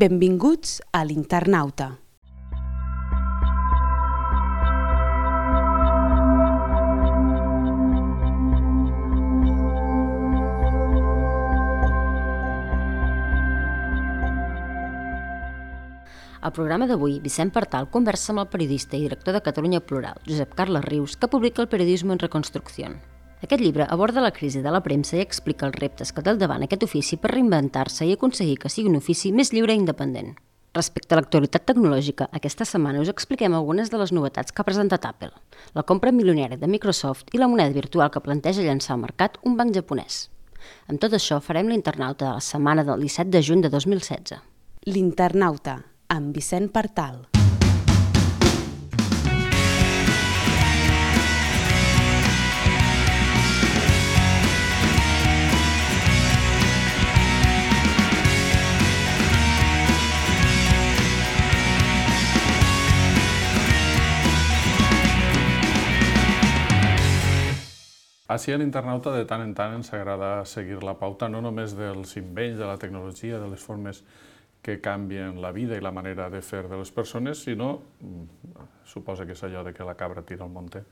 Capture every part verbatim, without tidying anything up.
Benvinguts a l'Internauta. Al programa d'avui, Vicent Partal conversa amb el periodista i director de Catalunya Plural, Josep Carles Rius, que publica el Periodismo en Reconstrucción. Aquest llibre aborda la crisi de la premsa i explica els reptes que té al davant aquest ofici per reinventar-se i aconseguir que sigui un ofici més lliure i independent. Respecte a l'actualitat tecnològica, aquesta setmana us expliquem algunes de les novetats que ha presentat Apple, la compra milionària de Microsoft i la moneda virtual que planteja llançar al mercat un banc japonès. Amb tot això farem l'Internauta de la setmana del disset de juny de dos mil setze. L'Internauta, amb Vicent Partal. Així a l'Internauta de tant en tant ens agrada seguir la pauta no només dels invents de la tecnologia, de les formes que canvien la vida i la manera de fer de les persones, sinó, suposa que és allò de que la cabra tira al monte,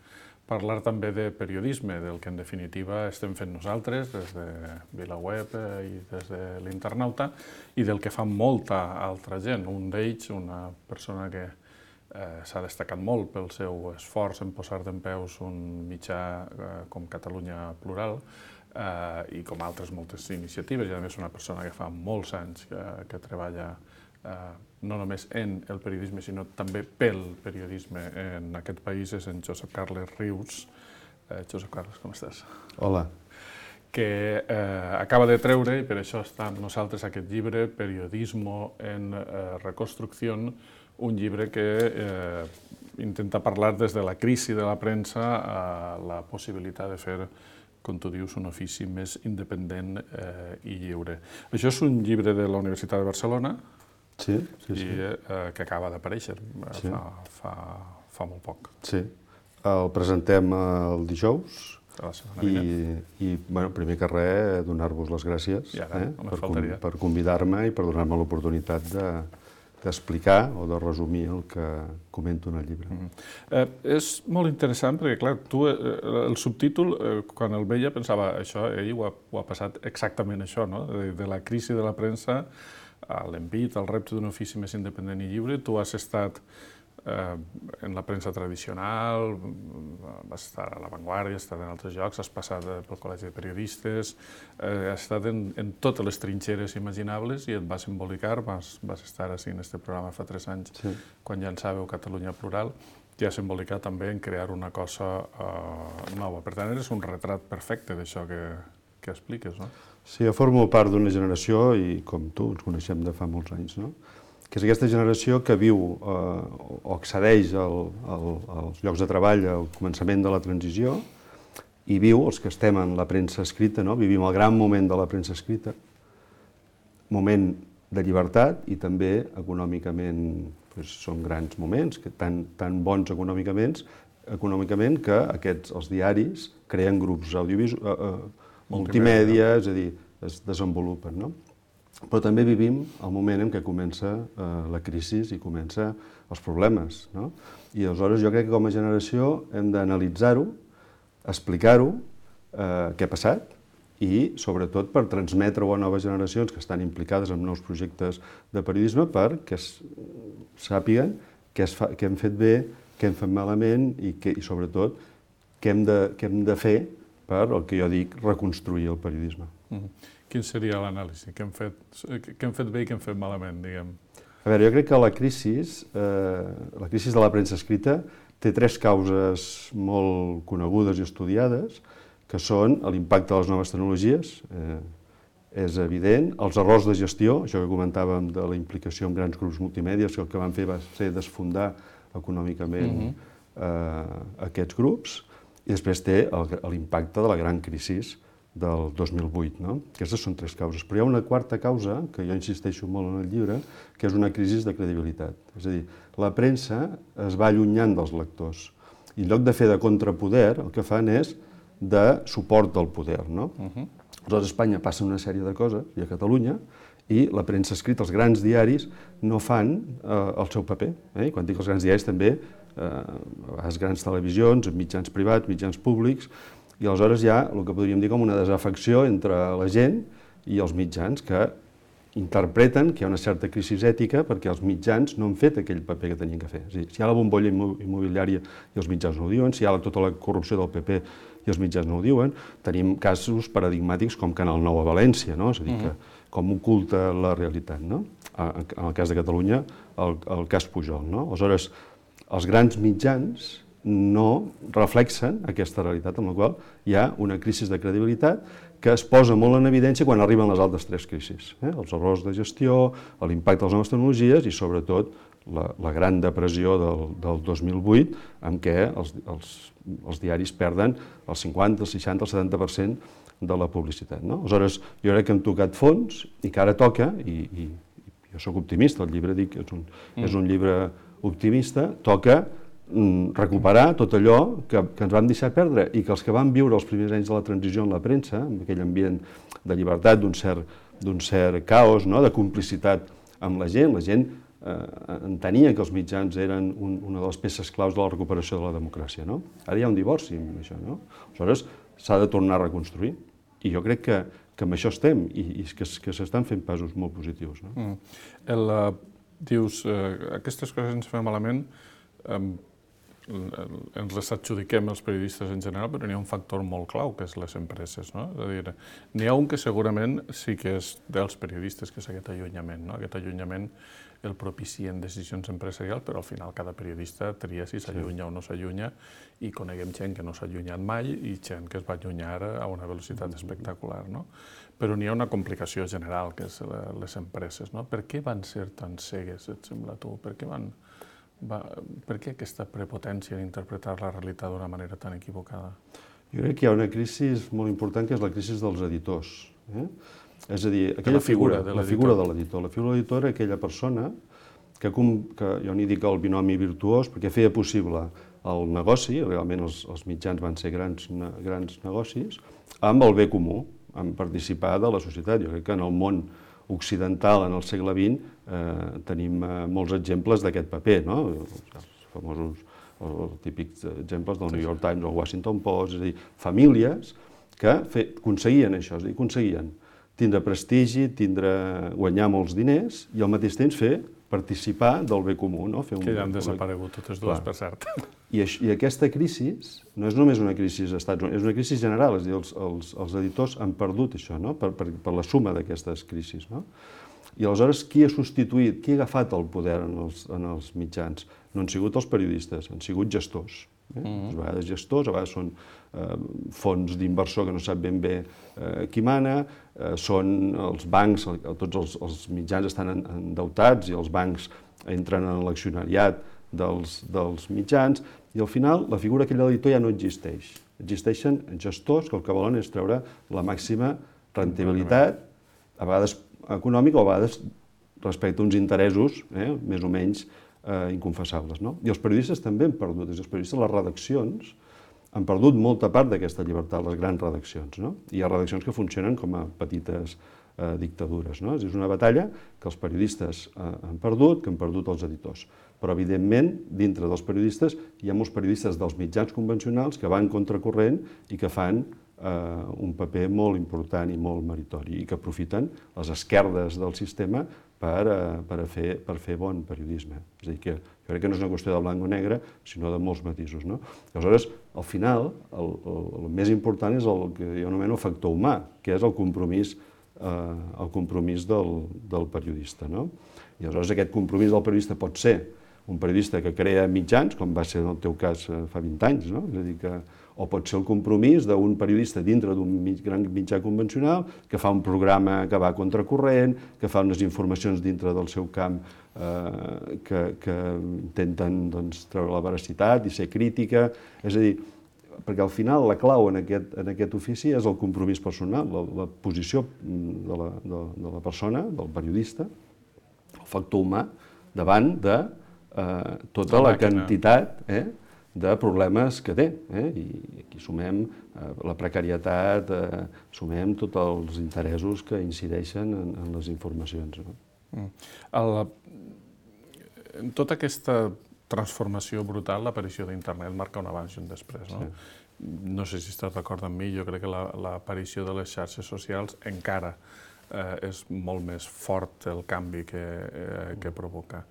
parlar també de periodisme, del que en definitiva estem fent nosaltres des de VilaWeb i des de l'Internauta i del que fa molta altra gent. Un d'ells, una persona que eh, s'ha destacat molt pel seu esforç en posar dempeus un mitjà eh, com Catalunya Plural, Uh, i com altres moltes iniciatives, i a més una persona que fa molts anys que, que treballa uh, no només en el periodisme, sinó també pel periodisme en aquest país, és en Josep Carles Rius. Uh, Josep Carles, com estàs? Hola. Que uh, acaba de treure, i per això està amb nosaltres aquest llibre, Periodismo en uh, Reconstrucción, un llibre que uh, intenta parlar des de la crisi de la premsa a la possibilitat de fer, com tu dius, un ofici més independent eh, i lliure. Això és un llibre de la Universitat de Barcelona, sí, sí, sí. I, eh, que acaba d'aparèixer sí. fa, fa, fa molt poc. Sí, el presentem el dijous i, i bueno, primer que res, donar-vos les gràcies ja, eh, per, com, per convidar-me i per donar-me l'oportunitat de d'explicar o de resumir el que comento en el llibre. Mm-hmm. eh, és molt interessant perquè, clar, tu, eh, el subtítol, eh, quan el veia, pensava, això, ell ho ha, ho ha passat exactament això, no? De, de la crisi de la premsa a l'envit, al repte d'un ofici més independent i lliure. Tu has estat eh, en la premsa tradicional, vas estar a La Vanguardia, has estat en altres llocs, has passat pel Col·legi de Periodistes, eh, has estat en, en totes les trinxeres imaginables i et vas embolicar, vas, vas estar així en aquest programa fa tres anys, sí. Quan llançàveu Catalunya Plural, i has embolicat també en crear una cosa eh, nova. Per tant, eres un retrat perfecte d'això que, que expliques, no? Sí, jo formo part d'una generació, i com tu, ens coneixem de fa molts anys, no? Que és aquesta generació que viu eh, o accedeix al, al, als llocs de treball al començament de la transició i viu, els que estem en la premsa escrita, no? Vivim el gran moment de la premsa escrita, moment de llibertat i també econòmicament doncs, són grans moments, que tan, tan bons econòmicament, econòmicament que aquests, els diaris creen grups audiovisuals, eh, eh, multimèdia, és a dir, es desenvolupen, no? Però també vivim el moment en què comença eh, la crisi i comença els problemes, no? I aleshores jo crec que com a generació hem d'analitzar-ho, explicar-ho, eh, què ha passat, i sobretot per transmetre-ho a noves generacions que estan implicades en nous projectes de periodisme perquè sàpiguen què, es fa, què hem fet bé, què hem fet malament i, que, i sobretot què hem, de, què hem de fer per el que jo dic reconstruir el periodisme. Mm-hmm. Quin seria l'anàlisi? Què hem fet, què hem fet bé i què hem fet malament, diguem? A veure, jo crec que la crisi, eh, la crisi de la premsa escrita té tres causes molt conegudes i estudiades, que són l'impacte de les noves tecnologies, eh, és evident, els errors de gestió, això que comentàvem de la implicació en grans grups multimèdia, que el que van fer va ser desfondar econòmicament mm-hmm. eh, aquests grups, i després té l'impacte de la gran crisi del dos mil vuit. No? Aquestes són tres causes. Però hi ha una quarta causa, que jo insisteixo molt en el llibre, que és una crisi de credibilitat. És a dir, la premsa es va allunyant dels lectors. I en lloc de fer de contrapoder, el que fan és de suport del poder. No? Uh-huh. Aleshores, a Espanya passen una sèrie de coses, i a Catalunya, i la premsa escrita, els grans diaris, no fan eh, el seu paper. Eh? I quan dic els grans diaris també, eh, a vegades grans televisions, mitjans privats, mitjans públics, i aleshores hi ha el que podríem dir com una desafecció entre la gent i els mitjans que interpreten que hi ha una certa crisi ètica perquè els mitjans no han fet aquell paper que tenien que fer. És a dir, si hi ha la bombolla immobiliària i els mitjans no ho diuen, si hi ha tota la corrupció del P P i els mitjans no ho diuen, tenim casos paradigmàtics com Canal nou a València, no? És a dir, que com oculta la realitat, no? En el cas de Catalunya, el, el cas Pujol, no? Aleshores, els grans mitjans no reflexen aquesta realitat amb la qual hi ha una crisi de credibilitat que es posa molt en evidència quan arriben les altres tres crisis. Eh? Els errors de gestió, l'impacte de les noves tecnologies i, sobretot, la, la gran depressió del, del dos mil vuit, en què els, els, els diaris perden el cinquanta, el seixanta, el setanta per cent de la publicitat. No? Aleshores, jo crec que hem tocat fons i que ara toca, i, i, i jo sóc optimista, el llibre dic que és un, mm. és un llibre optimista, toca recuperar tot allò que, que ens vam deixar perdre i que els que van viure els primers anys de la transició en la premsa, amb aquell ambient de llibertat, d'un cert, d'un cert caos, no? De complicitat amb la gent, la gent eh, entenia que els mitjans eren un, una de les peces claus de la recuperació de la democràcia. No? Ara hi ha un divorci amb això. No? Aleshores, s'ha de tornar a reconstruir i jo crec que, que amb això estem i, i que, que s'estan fent passos molt positius. No? Mm. El, uh, dius, uh, aquestes coses ens fan malament, um, ens les adjudiquem els periodistes en general, però n'hi ha un factor molt clau, que és les empreses. No? És a dir, n'hi ha un que segurament sí que és dels periodistes, que és aquest allunyament. No? Aquest allunyament el propicien decisions empresarials, però al final cada periodista tria si s'allunya o no s'allunya, i coneguem gent que no s'ha allunyat mai i gent que es va allunyar a una velocitat espectacular. No? Però n'hi ha una complicació general, que és les empreses. No? Per què van ser tan cegues, et sembla tu? Per què van... Va, per què aquesta prepotència en interpretar la realitat d'una manera tan equivocada? Jo crec que hi ha una crisi molt important, que és la crisi dels editors. Eh? És a dir, aquella la figura, figura, de la figura de l'editor. La figura de l'editor era aquella persona que, que jo n'hi dic el binomi virtuós, perquè feia possible el negoci, realment els, els mitjans van ser grans, grans negocis, amb el bé comú, amb participar de la societat. Jo crec que en el món occidental, en el segle vint, eh, tenim eh, molts exemples d'aquest paper, no? Els famosos, els típics exemples del New York Times o el Washington Post, és a dir, famílies que fe, aconseguien això, és a dir, aconseguien tindre prestigi, tindre, guanyar molts diners i al mateix temps fer participar del bé comú. No? Fer un, que ja han desaparegut totes dues, per cert. I, això, I aquesta crisi no és només una crisi als Estats Units, és una crisi general, és a dir, els, els, els editors han perdut això, no? per, per, per la suma d'aquestes crisis. No? I aleshores, qui ha substituït, qui ha agafat el poder en els, en els mitjans? No han sigut els periodistes, han sigut gestors. Eh? Mm-hmm. A vegades gestors, a vegades són eh, fons d'inversor que no sap ben bé eh, qui mana, eh, són els bancs, tots els, els mitjans estan endeutats i els bancs entren en l'accionariat dels, dels mitjans, i al final la figura aquella de l'editor ja no existeix. Existeixen gestors que el que volen és treure la màxima rendibilitat, a vegades econòmica o a vegades respecte a uns interessos eh, més o menys eh, inconfessables. No? I els periodistes també han perdut, els periodistes, les redaccions, han perdut molta part d'aquesta llibertat, les grans redaccions. No? Hi ha redaccions que funcionen com a petites eh, dictadures. No? És una batalla que els periodistes eh, han perdut, que han perdut els editors. Però, evidentment, dintre dels periodistes hi ha molts periodistes dels mitjans convencionals que van contracorrent i que fan eh, un paper molt important i molt meritori i que aprofiten les esquerdes del sistema per, eh, per, a fer, per fer bon periodisme. És a dir, que jo crec que no és una qüestió de blanc o negre, sinó de molts matisos. No? Aleshores, al final, el, el, el més important és el que jo anomeno factor humà, que és el compromís, eh, el compromís del, del periodista. No? I aleshores aquest compromís del periodista pot ser un periodista que crea mitjans, com va ser en el teu cas fa vint anys, no? És a dir que, o pot ser el compromís d'un periodista dintre d'un gran mitjà convencional que fa un programa que va contracorrent, que fa unes informacions dintre del seu camp eh, que, que intenten doncs, treure la veracitat i ser crítica. És a dir, perquè al final la clau en aquest, en aquest ofici és el compromís personal, la, la posició de la, de, de la persona, del periodista, el factor humà, davant de Eh, tota la, la quantitat eh, de problemes que té. Eh? I aquí sumem eh, la precarietat, eh, sumem tots els interessos que incideixen en, en les informacions. No? Mm. El, en tota aquesta transformació brutal, l'aparició d'internet marca un abans i un després. No, sí. No sé si estàs d'acord amb mi, jo crec que l'aparició de les xarxes socials encara eh, és molt més fort el canvi que, eh, que provoca.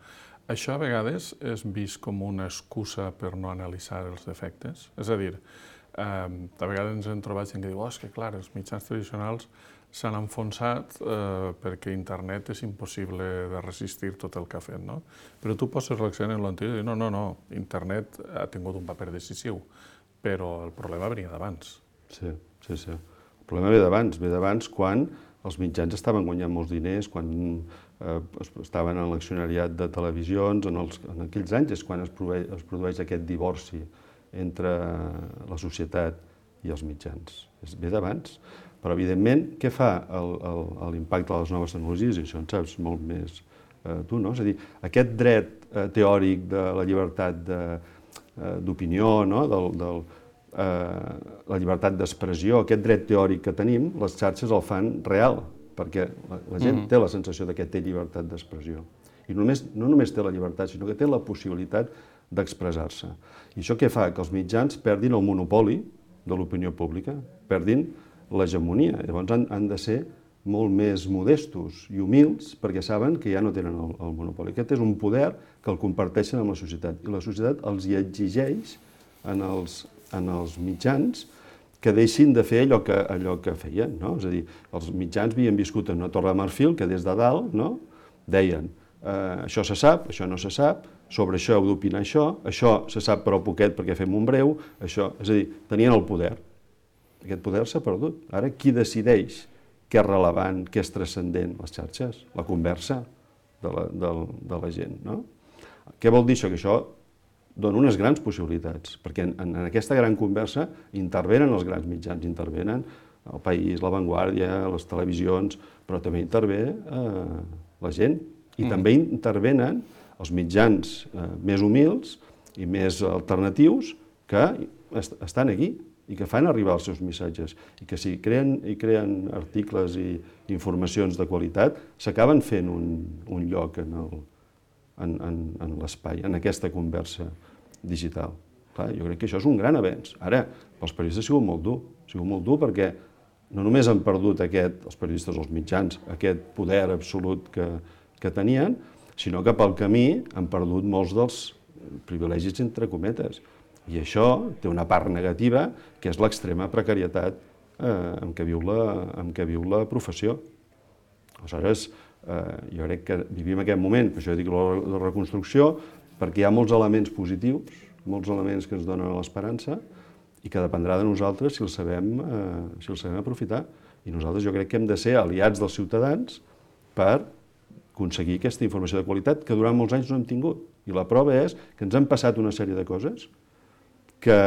Això a vegades és vist com una excusa per no analitzar els defectes. És a dir, eh, a vegades ens hem trobat gent que diu oh, és que clar, els mitjans tradicionals s'han enfonsat eh, perquè internet és impossible de resistir tot el que ha fet, no? Però tu poses l'accent en l'anterior i dius no, no, no, internet ha tingut un paper decisiu, però el problema venia d'abans. Sí, sí, sí. El problema ve d'abans, ve d'abans quan els mitjans estaven guanyant molts diners, quan eh, estaven en l'accionariat de televisions, en, els, en aquells anys és quan es produeix, es produeix aquest divorci entre la societat i els mitjans. És ve d'abans. Però, evidentment, què fa l'impacte de les noves tecnologies? I això en saps molt més eh, tu, no? És a dir, aquest dret eh, teòric de la llibertat d'opinió, eh, no? del, del, eh, la llibertat d'expressió, aquest dret teòric que tenim, les xarxes el fan real, perquè la, la gent mm-hmm. té la sensació de que té llibertat d'expressió. I només, no només té la llibertat, sinó que té la possibilitat d'expressar-se. I això què fa? Que els mitjans perdin el monopoli de l'opinió pública, perdin l'hegemonia. Llavors han, han de ser molt més modestos i humils perquè saben que ja no tenen el, el monopoli. Aquest és un poder que el comparteixen amb la societat i la societat els hi exigeix en els, en els mitjans que deixin de fer allò que, allò que feien. No? És a dir, els mitjans havien viscut en una torre de marfil que des de dalt no? deien eh, això se sap, això no se sap, sobre això heu d'opinar això, això se sap però poquet perquè fem un breu, això, és a dir, tenien el poder. Aquest poder s'ha perdut. Ara, qui decideix què és relevant, què és transcendent? Les xarxes, la conversa de la, de, de la gent. No? Què vol dir això? Que això dona unes grans possibilitats, perquè en, en aquesta gran conversa intervenen els grans mitjans, intervenen el País, La Vanguardia, les televisions, però també intervé eh, la gent. I mm. també intervenen els mitjans eh, més humils i més alternatius que est estan aquí i que fan arribar els seus missatges, i que si creen, i creen articles i informacions de qualitat, s'acaben fent un, un lloc en, el, en, en, en l'espai, en aquesta conversa digital. Clar, jo crec que això és un gran avenç. Ara, pels periodistes ha sigut molt dur, ha sigut molt dur perquè no només han perdut aquest, els periodistes o els mitjans, aquest poder absolut que, que tenien, sinó que pel camí han perdut molts dels privilegis entre cometes. I això té una part negativa, que és l'extrema precarietat eh, en què viu la, en què viu la professió. Aleshores, eh, jo crec que vivim aquest moment, per això dic la, la reconstrucció, perquè hi ha molts elements positius, molts elements que ens donen l'esperança, i que dependrà de nosaltres si els sabem, eh, si els sabem aprofitar. I nosaltres jo crec que hem de ser aliats dels ciutadans per aconseguir aquesta informació de qualitat que durant molts anys no hem tingut. I la prova és que ens han passat una sèrie de coses que,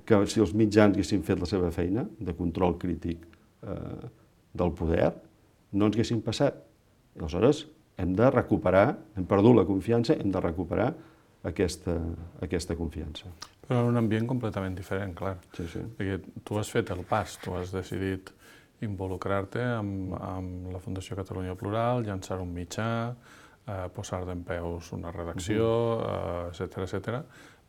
que si els mitjans haguessin fet la seva feina de control crític eh, del poder, no ens haguessin passat. I aleshores hem de recuperar, hem perdut la confiança, hem de recuperar aquesta, aquesta confiança. Però en un ambient completament diferent, clar. Sí, sí. Perquè tu has fet el pas, tu has decidit involucrar-te amb, amb la Fundació Catalunya Plural, llançar un mitjà, eh, posar d'en peus una redacció, uh-huh. etcètera, etcètera.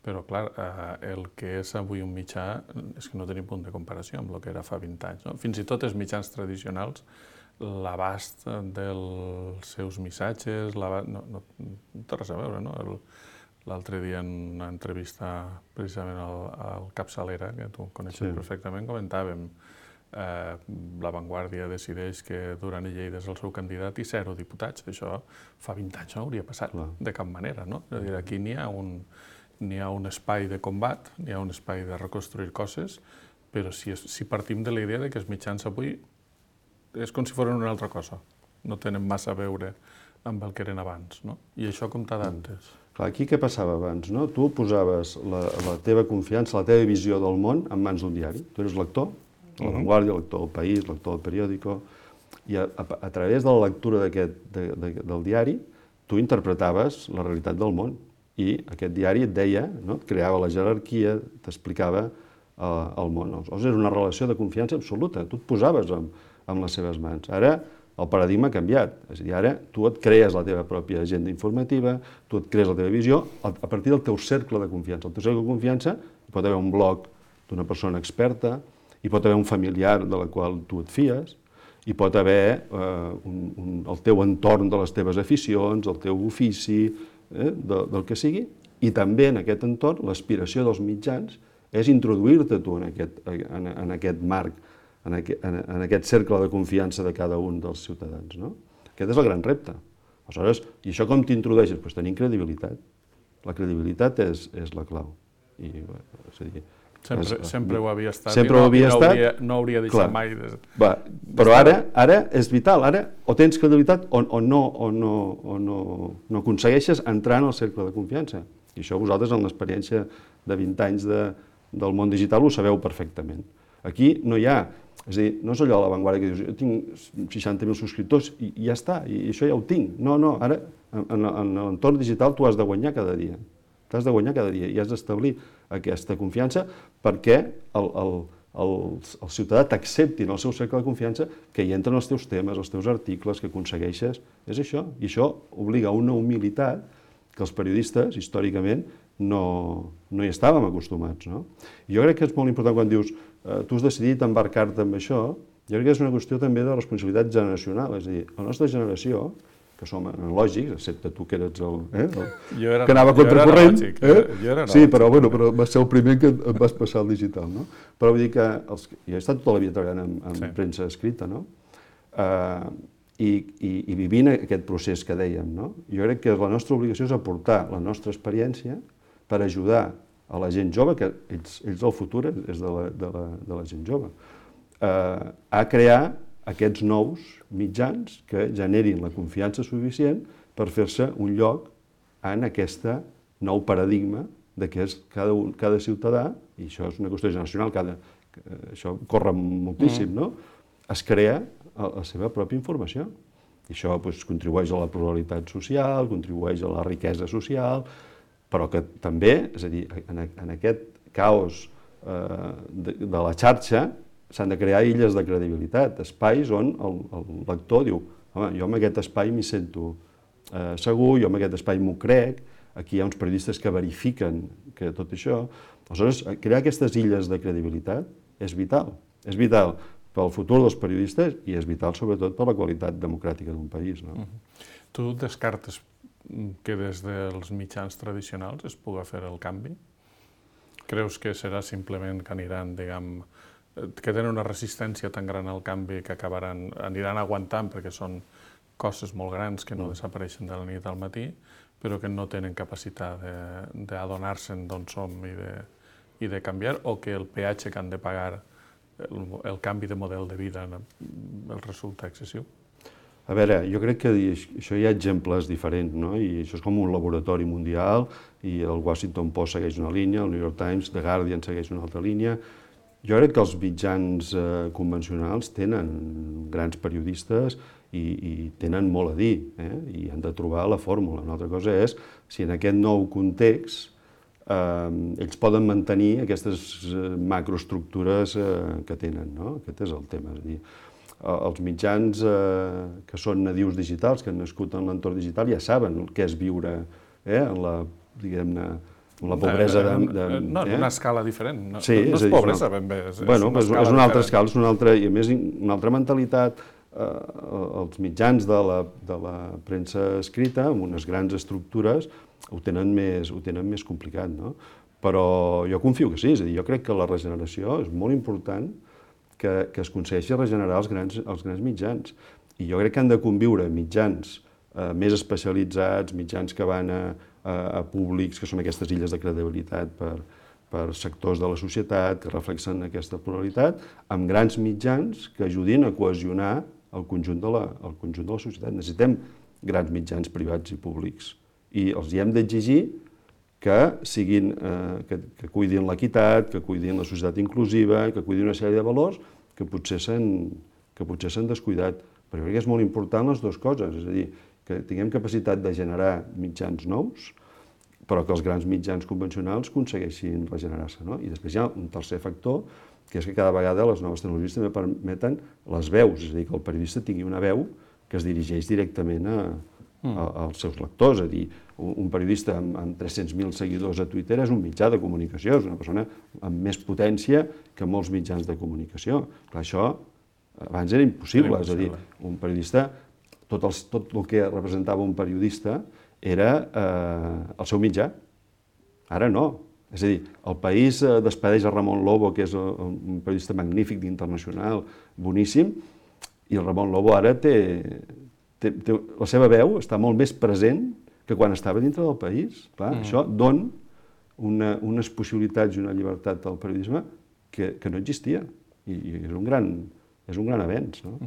Però, clar, eh, el que és avui un mitjà és que no tenim punt de comparació amb el que era fa vint anys. No? Fins i tot els mitjans tradicionals, l'abast dels seus missatges, no, no, no té res a veure, no? L'altre dia en una entrevista precisament al, al Capçalera, que tu coneixes sí. perfectament, comentàvem eh, La Vanguardia decideix que Duran i Lleida és el seu candidat i zero diputats. Això fa vint anys no hauria passat Clar. de cap manera. No? És a dir, aquí n'hi ha un... n'hi ha un espai de combat, n'hi ha un espai de reconstruir coses, però si, si partim de la idea de que els mitjans avui és com si fossin una altra cosa, no tenen massa a veure amb el que eren abans, no? I això com t'ha d'antes. Clar, aquí què passava abans, no? Tu posaves la, la teva confiança, la teva visió del món en mans d'un diari. Tu eres lector, de La Vanguardia, lector del País, lector del periòdico, i a, a, a través de la lectura d'aquest de, de, del diari, tu interpretaves la realitat del món. I aquest diari et deia, no? Et creava la jerarquia, t'explicava eh, el món. Aleshores, era una relació de confiança absoluta, tu et posaves amb, amb les seves mans. Ara el paradigma ha canviat, és a dir, ara tu et crees la teva pròpia agenda informativa, tu et crees la teva visió a partir del teu cercle de confiança. El teu cercle de confiança hi pot haver un blog d'una persona experta, hi pot haver un familiar de la qual tu et fies, hi pot haver eh, un, un, el teu entorn de les teves aficions, el teu ofici, eh, de, del que sigui, i també en aquest entorn l'aspiració dels mitjans és introduir-te tu en aquest, en, en aquest marc, en aquest, en, en aquest cercle de confiança de cada un dels ciutadans. No? Aquest és el gran repte. Aleshores, i això com t'introdueixes? Pues tenint credibilitat. La credibilitat és, és la clau. I, és a dir, Sempre, és, sempre ho havia estat, sempre i no, ho havia no, estat, hauria, no hauria deixat clar, mai. De, va, però ara, ara és vital, ara o tens credibilitat o, o, no, o, no, o no, no aconsegueixes entrar en el cercle de confiança. I això vosaltres, en l'experiència de vint anys de, del món digital, ho sabeu perfectament. Aquí no hi ha, és a dir, no és allò a l'avantguarda que dius, jo tinc seixanta mil subscriptors i, i ja està, i això ja ho tinc. No, no, ara, en, en l'entorn digital tu has de guanyar cada dia. T'has de guanyar cada dia i has d'establir aquesta confiança perquè el, el, el, el ciutadà t'accepti en el seu cercle de confiança que hi entren els teus temes, els teus articles, que aconsegueixes. És això. I això obliga a una humilitat que els periodistes, històricament, no, no hi estàvem acostumats. No? I jo crec que és molt important quan dius eh, tu has decidit embarcar-te amb això, jo crec que és una qüestió també de responsabilitat generacional. És a dir, la nostra generació, que som analògics, excepte tu que eres el, eh, el era, que anava contracorrent, eh? Jo era sí, però, bueno, però vas ser el primer que et vas passar al digital, no? Però vull dir que els, jo he estat tota la vida treballant en, en sí. premsa escrita, no? Uh, i, i, i vivint aquest procés que dèiem, no? Jo crec que la nostra obligació és aportar la nostra experiència per ajudar a la gent jove, que ells, ells el futur és de la, de la, de la gent jove, uh, a crear aquests nous mitjans que generin la confiança suficient per fer-se un lloc en aquest nou paradigma de què és cada, un, cada ciutadà, i això és una qüestió generacional, cada, això corre moltíssim, mm. no? Es crea la seva pròpia informació. I això doncs, contribueix a la pluralitat social, contribueix a la riquesa social, però que també, és a dir, en, en aquest caos eh, de, de la xarxa, s'han de crear illes de credibilitat, espais on el, el lector diu home, jo en aquest espai m'hi sento eh, segur, jo en aquest espai m'ho crec, aquí hi ha uns periodistes que verifiquen que tot això. Aleshores, crear aquestes illes de credibilitat és vital. És vital pel futur dels periodistes i és vital sobretot per la qualitat democràtica d'un país. No? Uh-huh. Tu descartes que des dels mitjans tradicionals es pugui fer el canvi? Creus que serà simplement que aniran, diguem, que tenen una resistència tan gran al canvi que acabaran, aniran aguantant perquè són coses molt grans que no desapareixen de la nit al matí, però que no tenen capacitat d'adonar-se'n d'on som i de, i de canviar, o que el peatge que han de pagar, el, el canvi de model de vida, els resulta excessiu? A veure, jo crec que això hi ha exemples diferents, no? I això és com un laboratori mundial, i el Washington Post segueix una línia, el New York Times, The Guardian segueix una altra línia. Jo crec que els mitjans eh, convencionals tenen grans periodistes i, i tenen molt a dir, eh? I han de trobar la fórmula. Una altra cosa és si en aquest nou context eh, ells poden mantenir aquestes eh, macroestructures eh, que tenen, no? Aquest és el tema. És a dir, els mitjans eh, que són nadius digitals, que han nascut en l'entorn digital, ja saben què és viure eh, en la, diguem-ne, la pobresa de... de no, en eh? una escala diferent. No, sí, no és, és pobresa, ben bé. És, bueno, és, una és una altra diferent. escala, és una altra, i a més una altra mentalitat. Eh, els mitjans de la, de la premsa escrita, amb unes grans estructures, ho tenen més, ho tenen més complicat, no? Però jo confio que sí, és a dir, jo crec que la regeneració és molt important que, que es aconsegueixi regenerar els grans, els grans mitjans. I jo crec que han de conviure mitjans eh, més especialitzats, mitjans que van a, a, a públics, que són aquestes illes de credibilitat per, per sectors de la societat, que reflexen aquesta pluralitat, amb grans mitjans que ajudin a cohesionar el conjunt de la, el conjunt de la societat. Necessitem grans mitjans privats i públics. I els hi hem d'exigir que siguin, eh, que, que cuidin l'equitat, que cuidin la societat inclusiva, que cuidin una sèrie de valors que potser s'han que potser s'han descuidat. Però jo crec que és molt important les dues coses, és a dir, que tinguem capacitat de generar mitjans nous, però que els grans mitjans convencionals aconsegueixin regenerar-se, no? I després hi ha un tercer factor, que és que cada vegada les noves tecnologies també permeten les veus, és a dir, que el periodista tingui una veu que es dirigeix directament a, a, als seus lectors, és a dir, un periodista amb, amb tres-cents mil seguidors a Twitter és un mitjà de comunicació, és una persona amb més potència que molts mitjans de comunicació. Clar, això abans era impossible, és a dir, un periodista, tot, els, tot el que representava un periodista era eh, el seu mitjà. Ara no. És a dir, el País eh, despedeix a Ramon Lobo, que és un periodista magnífic, internacional, boníssim, i el Ramon Lobo ara té, té, té... La seva veu està molt més present que quan estava dintre del País. Clar, mm. Això dona una, unes possibilitats i una llibertat al periodisme que, que no existia. I, i és un gran... és un gran avenç, no?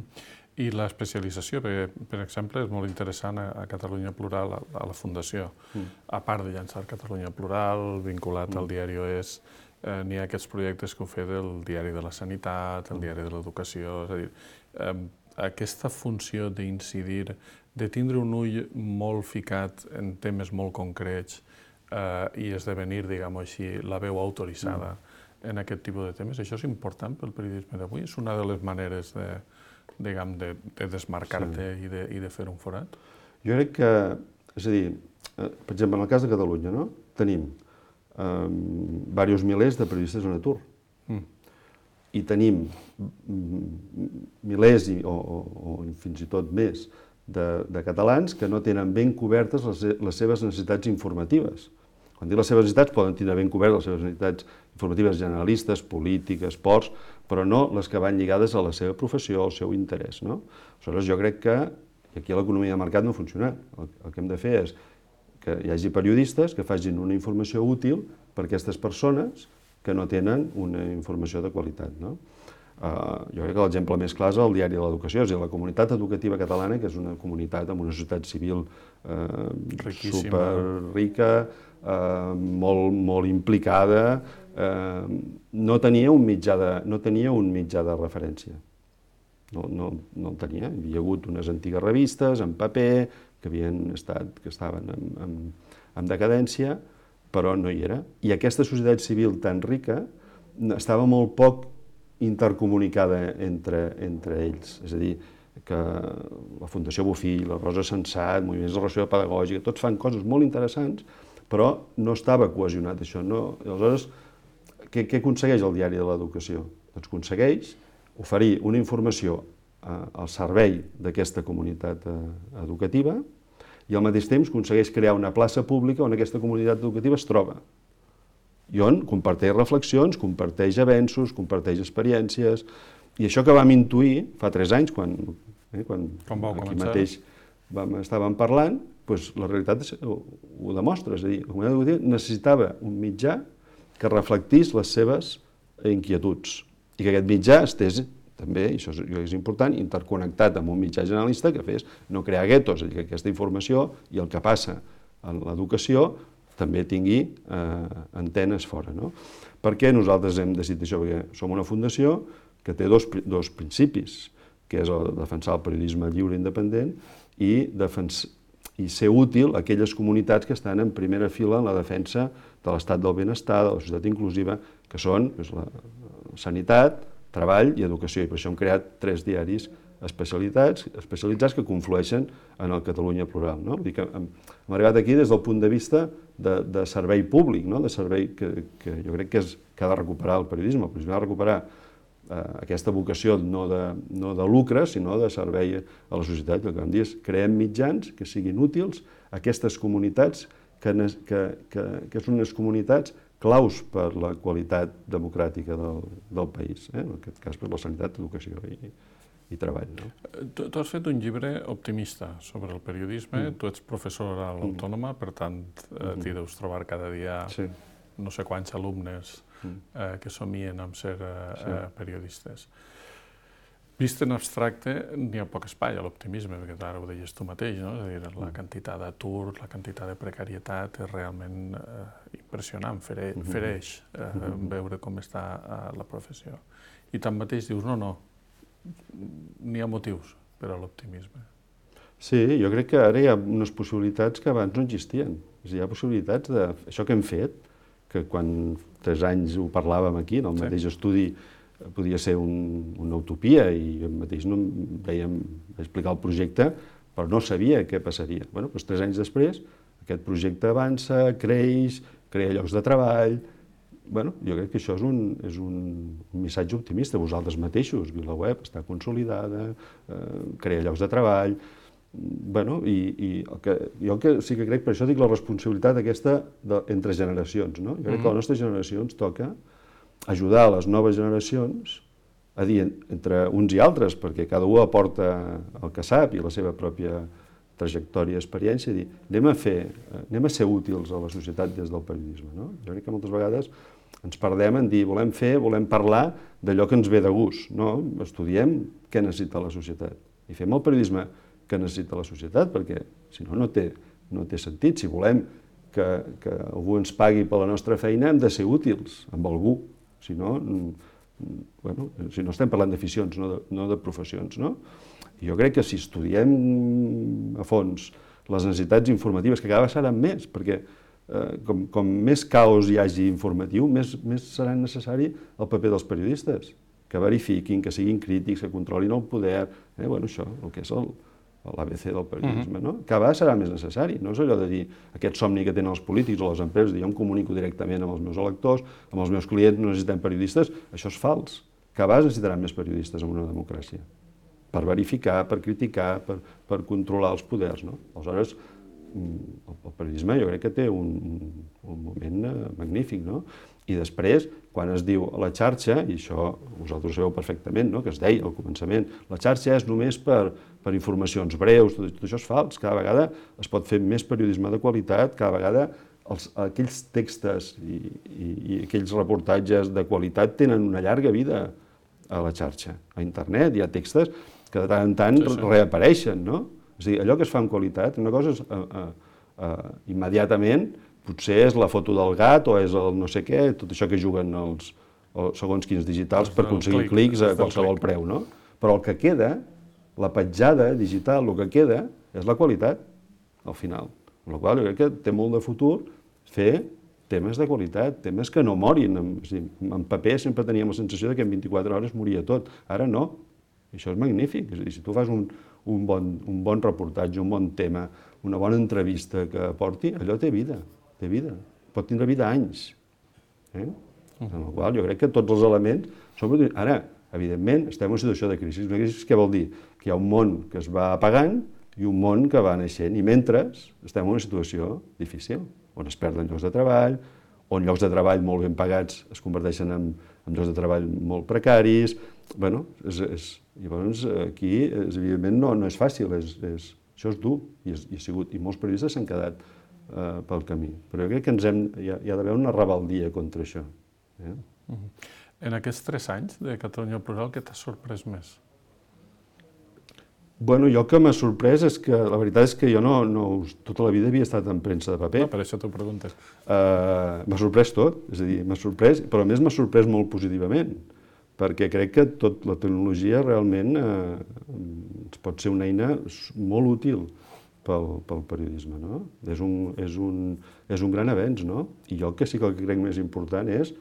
I l'especialització, perquè, per exemple, és molt interessant a, a Catalunya Plural, a, a la Fundació. Mm. A part de llançar Catalunya Plural, vinculat mm. al diari Oest, eh, n'hi ha aquests projectes que ho fe del Diari de la Sanitat, el Diari de l'Educació, és a dir, eh, aquesta funció d'incidir, de tindre un ull molt ficat en temes molt concrets eh, i esdevenir, diguem-ho així, la veu autoritzada mm. en aquest tipus de temes, això és important pel periodisme d'avui? És una de les maneres de, diguem, de, de desmarcar-te sí. i, de, i de fer un forat? Jo crec que, és a dir, per exemple, en el cas de Catalunya, no? Tenim eh, diversos milers de periodistes en atur. Mm. I tenim milers i, o, o, o fins i tot més de, de catalans que no tenen ben cobertes les, les seves necessitats informatives. Quan dic les seves necessitats, poden tenir ben cobertes les seves necessitats informatives generalistes, polítiques, esports, però no les que van lligades a la seva professió, al seu interès, no? Aleshores, jo crec que aquí l'economia de mercat no ha funcionat. El, el que hem de fer és que hi hagi periodistes que facin una informació útil per a aquestes persones que no tenen una informació de qualitat, no? Uh, jo crec que l'exemple més clar és el Diari de l'Educació, és a dir, la comunitat educativa catalana, que és una comunitat amb una societat civil uh, superrica, uh, molt, molt implicada, uh, no tenia un mitjà de, no tenia un mitjà de referència. No, no, no el tenia. Hi havia hagut unes antigues revistes en paper que havien estat, que estaven en, en, en decadència, però no hi era. I aquesta societat civil tan rica estava molt poc intercomunicada entre, entre ells. És a dir, que la Fundació Bofill, la Rosa Sensat, moviments de relació pedagògica, tots fan coses molt interessants, però no estava cohesionat això. No? Aleshores, què, què aconsegueix el Diari de l'Educació? Doncs aconsegueix oferir una informació eh, al servei d'aquesta comunitat eh, educativa i al mateix temps aconsegueix crear una plaça pública on aquesta comunitat educativa es troba i on comparteix reflexions, comparteix avenços, comparteix experiències, i això que vam intuir fa tres anys, quan, eh, quan Com vau aquí començar? mateix vam, estàvem parlant, doncs la realitat ho, ho demostra, és a dir, la comunitat educativa necessitava un mitjà que reflectís les seves inquietuds, i que aquest mitjà estés també, i això és, és important, interconnectat amb un mitjà generalista que fes no crear guetos, és a dir, que aquesta informació i el que passa en l'educació també tingui eh, antenes fora. No? Per què nosaltres hem decidit això? Perquè som una fundació que té dos, dos principis, que és el de defensar el periodisme lliure i independent i, defens, i ser útil a aquelles comunitats que estan en primera fila en la defensa de l'estat del benestar, de la societat inclusiva, que són doncs, la sanitat, treball i educació. I per això hem creat tres diaris especialitats, especialitzats que conflueixen en el Catalunya Plural. No? Vull dir que hem, hem arribat aquí des del punt de vista de, de servei públic, no? De servei que, que jo crec que, és, que ha de recuperar el periodisme. El periodisme ha de recuperar eh, aquesta vocació no de, no de lucre, sinó de servei a la societat. El que vam dir és creem mitjans que siguin útils a aquestes comunitats que, que, que, que són unes comunitats claus per la qualitat democràtica del, del país, eh? En aquest cas per la sanitat, educació i, i treball. No? Tu, tu has fet un llibre optimista sobre el periodisme, mm. tu ets professor a l'Autònoma, per tant eh, t'hi deus trobar cada dia sí. no sé quants alumnes eh, que somien amb ser eh, sí. eh, periodistes. Vist en abstracte, n'hi ha poc espai a l'optimisme, perquè ara ho deies tu mateix, no? És a dir, la quantitat d'atur, la quantitat de precarietat és realment eh, impressionant, fere, fereix eh, veure com està eh, la professió. I tanmateix dius, no, no, n'hi ha motius per a l'optimisme. Sí, jo crec que ara hi ha unes possibilitats que abans no existien. És a dir, hi ha possibilitats de... Això que hem fet, que quan tres anys ho parlàvem aquí, en el mateix sí. estudi, podia ser un, una utopia, i jo mateix no dèiem, vaig explicar el projecte, però no sabia què passaria. Bueno, doncs tres anys després, aquest projecte avança, creix, crea llocs de treball... Bueno, jo crec que això és un, és un missatge optimista. Vosaltres mateixos, VilaWeb està consolidada, eh, crea llocs de treball... Bueno, i, i el que, jo que sí que crec, per això dic la responsabilitat aquesta de, entre generacions, no? Jo crec mm-hmm. que a la nostra generació ens toca ajudar a les noves generacions a dir entre uns i altres, perquè cada un aporta el que sap i la seva pròpia trajectòria i experiència, dir, anem a fer, anem a ser útils a la societat des del periodisme, no? Jo crec que moltes vegades ens perdem en dir, volem fer, volem parlar d'allò que ens ve de gust, no? Estudiem què necessita la societat i fem el periodisme que necessita la societat, perquè si no, no té, no té sentit. Si volem que, que algú ens pagui per la nostra feina, hem de ser útils amb algú. Si no, bueno, si no estem parlant d'aficions, no, de, no de professions, no? I jo crec que si estudiem a fons les necessitats informatives, que cada vegada seran més, perquè eh, com, com més caos hi hagi informatiu, més, més serà necessari el paper dels periodistes, que verifiquin, que siguin crítics, que controlin el poder, eh, bueno, això, el que és el l'A B C del periodisme, no? Cada vegada serà més necessari. No és allò de dir aquest somni que tenen els polítics o les empreses, dir jo em comunico directament amb els meus electors, amb els meus clients, no necessitem periodistes. Això és fals. Cada vegada necessitaran més periodistes en una democràcia. Per verificar, per criticar, per, per controlar els poders, no? Aleshores, el, el periodisme jo crec que té un, un moment magnífic, no? I després, quan es diu a la xarxa, i això vosaltres sabeu perfectament, no? Que es deia al començament, la xarxa és només per, per informacions breus, tot, tot això és fals. Cada vegada es pot fer més periodisme de qualitat, cada vegada els, aquells textos i, i, i aquells reportatges de qualitat tenen una llarga vida a la xarxa. A internet hi ha textos que de tant en tant sí, sí. reapareixen, no? És a dir, allò que es fa amb qualitat, una cosa és uh, uh, uh, immediatament, potser és la foto del gat o és el no sé què, tot això que juguen els, els segons quins digitals per aconseguir clics a qualsevol preu, no? Però el que queda, la petjada digital, el que queda, és la qualitat, al final. Amb la qual jo crec que té molt de futur fer temes de qualitat, temes que no morin. En paper sempre teníem la sensació que en vint-i-quatre hores moria tot. Ara no. Això és magnífic. És a dir, si tu fas un, un, bon, un bon reportatge, un bon tema, una bona entrevista que aporti, allò té vida. té vida, pot tindre vida anys. Eh? En la qual jo crec que tots els elements són... Ara, evidentment, estem en una situació de crisi. Una crisi què vol dir? Que hi ha un món que es va apagant i un món que va naixent. I mentre estem en una situació difícil, on es perden llocs de treball, on llocs de treball molt ben pagats es converteixen en, en llocs de treball molt precaris. Bueno, és, és, llavors aquí, és, evidentment, no, no és fàcil, és, és, això és dur, i, és, i, ha sigut, i molts periodistes s'han quedat Uh, pel camí. Però jo crec que ens hem, hi ha, hi ha d'haver una rebeldia contra això. Eh? Uh-huh. En aquests tres anys de Catalunya Plural, què t'ha sorprès més? Bueno, jo que m'ha sorprès és que la veritat és que jo no, no, tota la vida havia estat en premsa de paper. No, per això t'ho preguntes. Uh, m'ha sorprès tot, és a dir, m'ha sorprès, però a més m'ha sorprès molt positivament, perquè crec que tot la tecnologia realment uh, pot ser una eina molt útil Pel, pel periodisme, no? És un, és, un, és un gran avenç, no? I jo el que sí que el que crec més important és...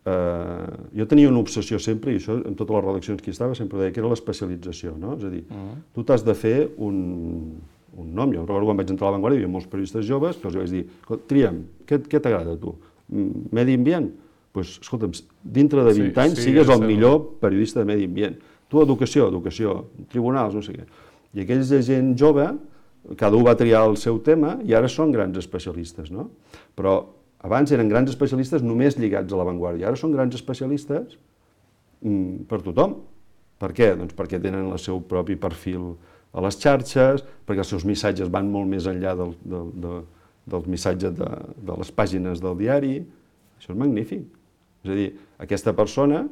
Eh, jo tenia una obsessió sempre, i això en totes les redaccions que hi estava sempre deia que era l'especialització, no? És a dir, uh-huh. tu t'has de fer un, un nom. Jo recordo quan vaig entrar a La Vanguardia, hi havia molts periodistes joves, que els vaig dir, tria'm, què, què t'agrada a tu? Medi ambient? Doncs, pues, escolta'm, dintre de vint sí, anys sí, sigues el millor periodista de medi ambient. Tu, educació, educació, tribunals, no sé què. I aquells de gent jove, cada un va triar el seu tema i ara són grans especialistes, no? Però abans eren grans especialistes només lligats a La Vanguardia, ara són grans especialistes mm, per tothom. Per què? Doncs perquè tenen el seu propi perfil a les xarxes, perquè els seus missatges van molt més enllà del, del, del, del missatge de, de les pàgines del diari. Això és magnífic. És a dir, aquesta persona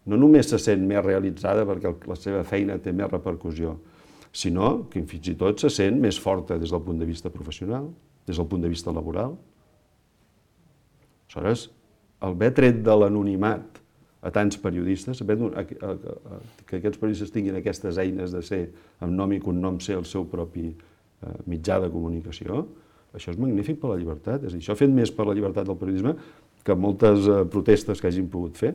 no només se sent més realitzada perquè la seva feina té més repercussió, sinó que fins i tot se sent més forta des del punt de vista professional, des del punt de vista laboral. Aleshores, el haver tret de l'anonimat a tants periodistes, saber que aquests periodistes tinguin aquestes eines de ser, amb nom i cognom, ser el seu propi mitjà de comunicació, això és magnífic per la llibertat. És a dir, això ha fet més per la llibertat del periodisme que moltes protestes que hagin pogut fer.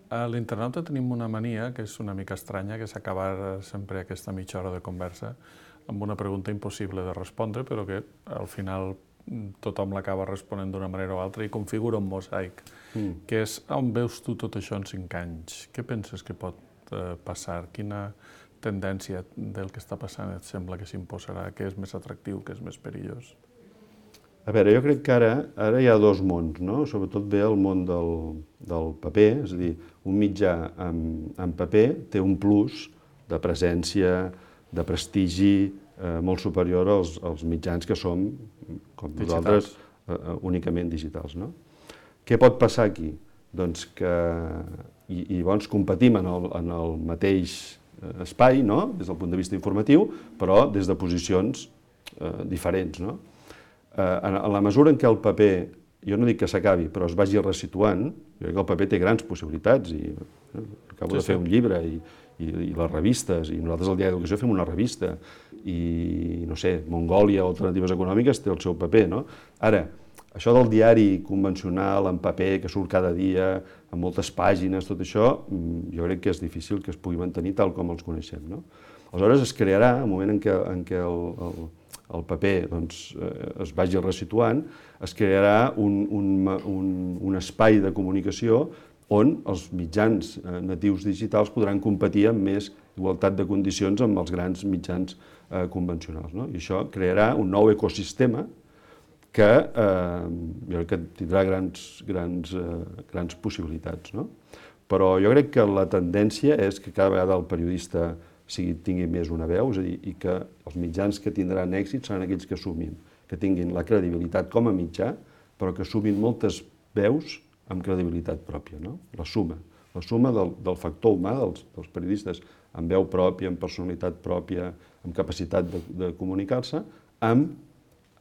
A l'internauta tenim una mania, que és una mica estranya, que és acabar sempre aquesta mitja hora de conversa amb una pregunta impossible de respondre, però que al final tothom l'acaba responent d'una manera o altra i configura un mosaic, que és on veus tu tot això en cinc anys? Què penses que pot passar? Quina tendència del que està passant et sembla que s'imposarà? Què és més atractiu, què és més perillós? A veure, jo crec que ara, ara hi ha dos mons, no? Sobretot ve el món del, del paper, és a dir, un mitjà en, en paper té un plus de presència, de prestigi eh, molt superior als, als mitjans que som, com nosaltres, eh, únicament digitals, no? Què pot passar aquí? Doncs que i, i llavors competim en el, en el mateix espai, no? Des del punt de vista informatiu, però des de posicions eh, diferents, no? En la mesura en què el paper, jo no dic que s'acabi, però es vagi resituant, jo crec que el paper té grans possibilitats i acabo de fer un llibre i, i, i les revistes, i nosaltres al Diari d'Educació fem una revista i, no sé, Mongòlia o Alternatives Econòmiques té el seu paper, no? Ara, això del diari convencional en paper que surt cada dia, amb moltes pàgines, tot això, jo crec que és difícil que es pugui mantenir tal com els coneixem, no? Aleshores es crearà, el moment en què, en què el, el el paper doncs, es vagi resituant, es crearà un, un, un, un espai de comunicació on els mitjans natius digitals podran competir amb més igualtat de condicions amb els grans mitjans eh, convencionals, no? I això crearà un nou ecosistema que eh, jo crec que tindrà grans, grans, eh, grans possibilitats, no? Però jo crec que la tendència és que cada vegada el periodista sigui, tingui més una veu, és a dir, i que els mitjans que tindran èxit seran aquells que sumin, que tinguin la credibilitat com a mitjà, però que sumin moltes veus amb credibilitat pròpia, no? La suma, la suma del, del factor humà, dels, dels periodistes amb veu pròpia, amb personalitat pròpia, amb capacitat de, de comunicar-se, amb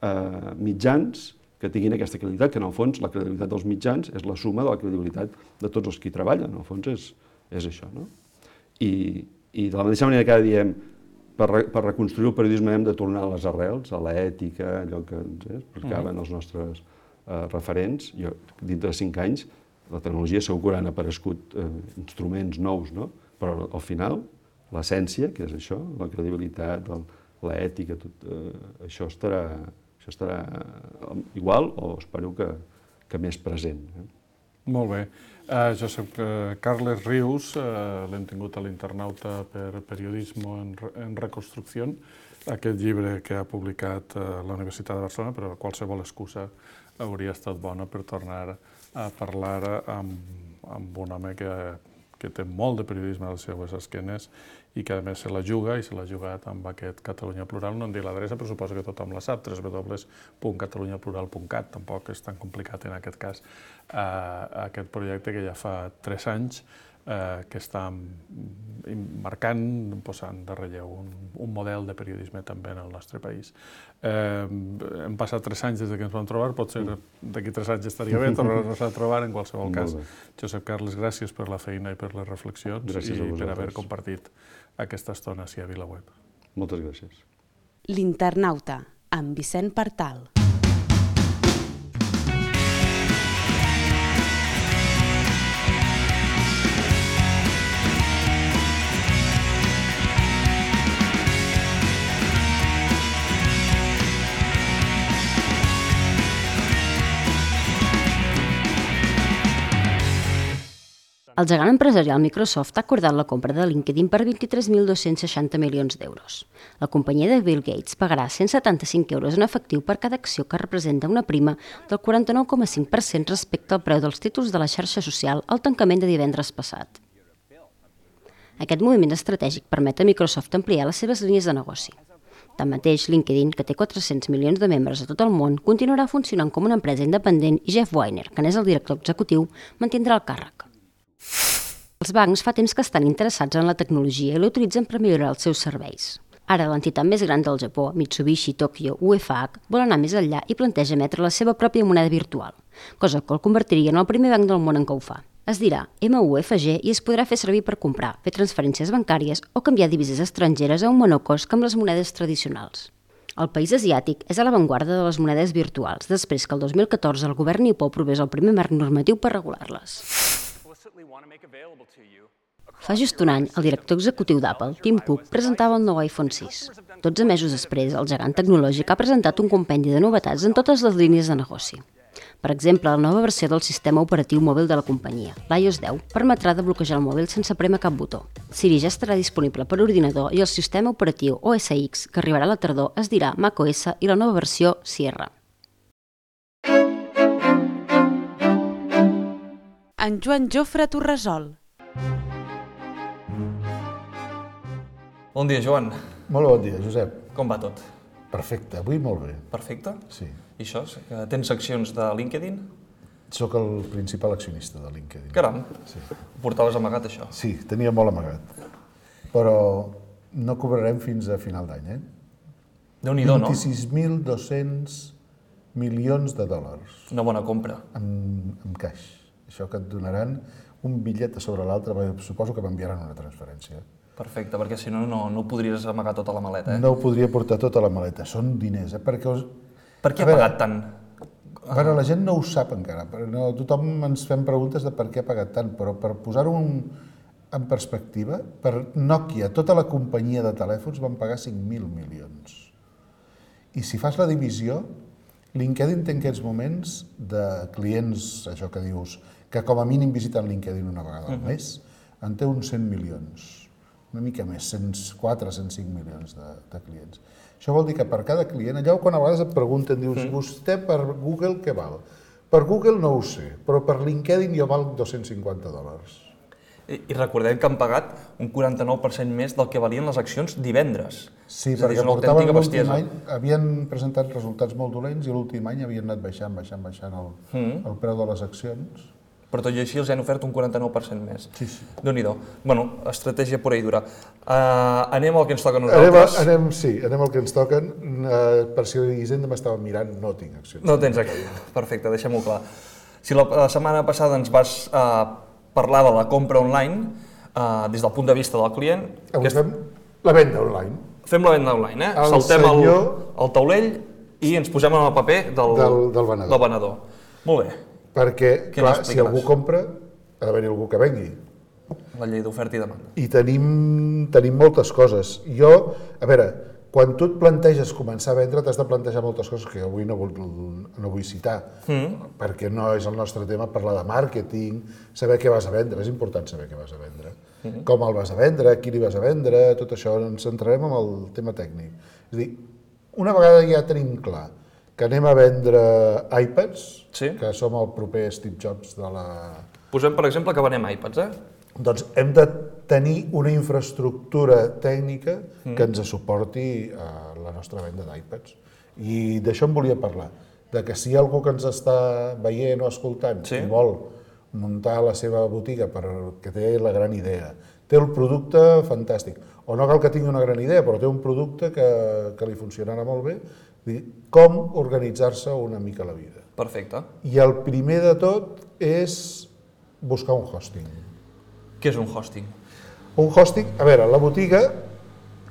eh, mitjans que tinguin aquesta credibilitat, que en el fons la credibilitat dels mitjans és la suma de la credibilitat de tots els que hi treballen, en el fons és, és això, no? I, I de la mateixa manera que ara diem, per, re, per reconstruir el periodisme hem de tornar a les arrels, a l'ètica, allò que ens eh, explicaven els nostres eh, referents. Jo, dintre de cinc anys, la tecnologia segur que han aparegut eh, instruments nous, no? Però al final, l'essència, que és això, la credibilitat, l'ètica, tot eh, això estarà, això estarà igual o espero que, que més present. Eh? Molt bé. Uh, Josep uh, Carles Rius, uh, l'hem tingut a l'Internauta per Periodismo en, en Reconstrucció, aquest llibre que ha publicat uh, la Universitat de Barcelona, però qualsevol excusa hauria estat bona per tornar a parlar amb, amb un home que, que té molt de periodisme a les seues esquenes i que a més se la juga i se l'ha jugat amb aquest Catalunya Plural. No em dic l'adreça, però suposo que tothom la sap, w w w punt catalunya plural punt cat, tampoc és tan complicat en aquest cas. Uh, aquest projecte que ja fa tres anys uh, que està marcant, posant de relleu un, un model de periodisme també en el nostre país. Uh, hem passat tres anys des que ens vam trobar, potser d'aquí tres anys estaria bé tornar-nos a trobar en qualsevol cas. Josep Carles, gràcies per la feina i per les reflexions gràcies i per haver compartit aquesta estona ací a VilaWeb. Moltes gràcies. L'Internauta, amb Vicent Partal. El gegant empresarial Microsoft ha acordat la compra de LinkedIn per vint-i-tres mil dos-cents seixanta milions d'euros. La companyia de Bill Gates pagarà cent setanta-cinc euros en efectiu per cada acció que representa una prima del quaranta-nou coma cinc per cent respecte al preu dels títols de la xarxa social al tancament de divendres passat. Aquest moviment estratègic permet a Microsoft ampliar les seves línies de negoci. Tanmateix, LinkedIn, que té quatre-cents milions de membres a tot el món, continuarà funcionant com una empresa independent i Jeff Weiner, que n'és el director executiu, mantindrà el càrrec. Els bancs fa temps que estan interessats en la tecnologia i l'utilitzen per millorar els seus serveis. Ara, l'entitat més gran del Japó, Mitsubishi Tokyo U F H, vol anar més enllà i planteja emetre la seva pròpia moneda virtual, cosa que el convertiria en el primer banc del món en què ho fa. Es dirà M U F G i es podrà fer servir per comprar, fer transferències bancàries o canviar divises estrangeres a un menor cost que amb les monedes tradicionals. El país asiàtic és a l'avantguarda de les monedes virtuals, després que el dos mil catorze el govern nipó aprovés el primer marc normatiu per regular-les. Fa just un any, el director executiu d'Apple, Tim Cook, presentava el nou iPhone sis. dotze mesos després, el gegant tecnològic ha presentat un compendi de novetats en totes les línies de negoci. Per exemple, la nova versió del sistema operatiu mòbil de la companyia, l'i O S deu, permetrà de bloquejar el mòbil sense prémer cap botó. Siri ja estarà disponible per ordinador i el sistema operatiu O S X, que arribarà a la tardor, es dirà macOS i la nova versió Sierra. En Joan Jofre Torresol. Bon dia, Joan. Molt bon dia, Josep. Com va tot? Perfecte, avui molt bé. Perfecte? Sí. I això? Que tens accions de LinkedIn? Soc el principal accionista de LinkedIn. Caram, Sí, ho portaves amagat, això. sí tenia molt amagat. Però no cobrarem fins a final d'any, eh? Déu-n'hi-do, no? vint-i-sis mil dos-cents milions de dòlars Una bona compra. en, en caix. Això que et donaran un bitllet a sobre l'altre, perquè suposo que m'enviaran una transferència. Perfecte, perquè si no, no, no ho podries amagar tota la maleta, eh? No ho podria portar tota la maleta, són diners, eh? Perquè us... Per què A ha veure, pagat tant? Bueno, la gent no ho sap encara, però no, tothom ens fem preguntes de per què ha pagat tant, però per posar-ho en, en perspectiva, per Nokia, tota la companyia de telèfons van pagar cinc mil milions. I si fas la divisió, LinkedIn té en aquests moments de clients, això que dius, que com a mínim visiten LinkedIn una vegada al mes, en té uns cent milions, una mica més, cent quatre, cent cinc milions de, de clients. Això vol dir que per cada client, allò quan a vegades et pregunten, dius, vostè per Google què val? Per Google no ho sé, però per LinkedIn jo val dos-cents cinquanta dòlars. I, I recordem que han pagat un quaranta-nou per cent més del que valien les accions divendres. Sí, És a dir, perquè és una portaven autèntica l'últim bestiesa. any, havien presentat resultats molt dolents i l'últim any havien anat baixant, baixant, baixant el, Mm. el preu de les accions. Però tot i així els han ofert un quaranta-nou per cent més. Sí, sí. Déu-n'hi-do. Bueno, estratègia pura i dura. Uh, anem al que ens toca a Anem, a, nosaltres. anem, sí, anem al que ens toquen. Uh, per si Hisenda m'estava mirant, no tinc accions. No tens aquí. Perfecte, deixem-ho clar. Si la, la setmana passada ens vas uh, parlar de la compra online, uh, des del punt de vista del client, Avui aquest- fem la venda online. fem la venda online, eh? El Saltem el, senyor- el taulell i ens posem en el paper del, Del- del venedor. del venedor. Molt bé, Perquè, Què clar, ens si explicaràs? algú compra, ha d'haver-hi algú que vengui. la llei d'oferta i demanda. I tenim, tenim moltes coses. Jo, a veure, quan tu et planteges començar a vendre, t'has de plantejar moltes coses que avui no vull, no vull citar, mm. perquè no és el nostre tema parlar de màrqueting, saber què vas a vendre, és important saber què vas a vendre. Mm. Com el vas a vendre, a qui li vas a vendre, tot això, ens centrarem en el tema tècnic. És a dir, una vegada ja tenim clar que anem a vendre iPads, Sí. que som el proper Steve Jobs de la... Posem, per exemple, que venem iPads, eh? Doncs hem de tenir una infraestructura tècnica que ens suporti a la nostra venda d'iPads. I d'això em volia parlar, de que si hi ha algú que ens està veient o escoltant Sí. i vol muntar la seva botiga perquè té la gran idea, té el producte fantàstic, o no cal que tingui una gran idea, però té un producte que, que li funcionarà molt bé, dir, com organitzar-se una mica la vida. Perfecte. I el primer de tot és buscar un hosting. Què és un hosting? Un hosting, a veure, la botiga,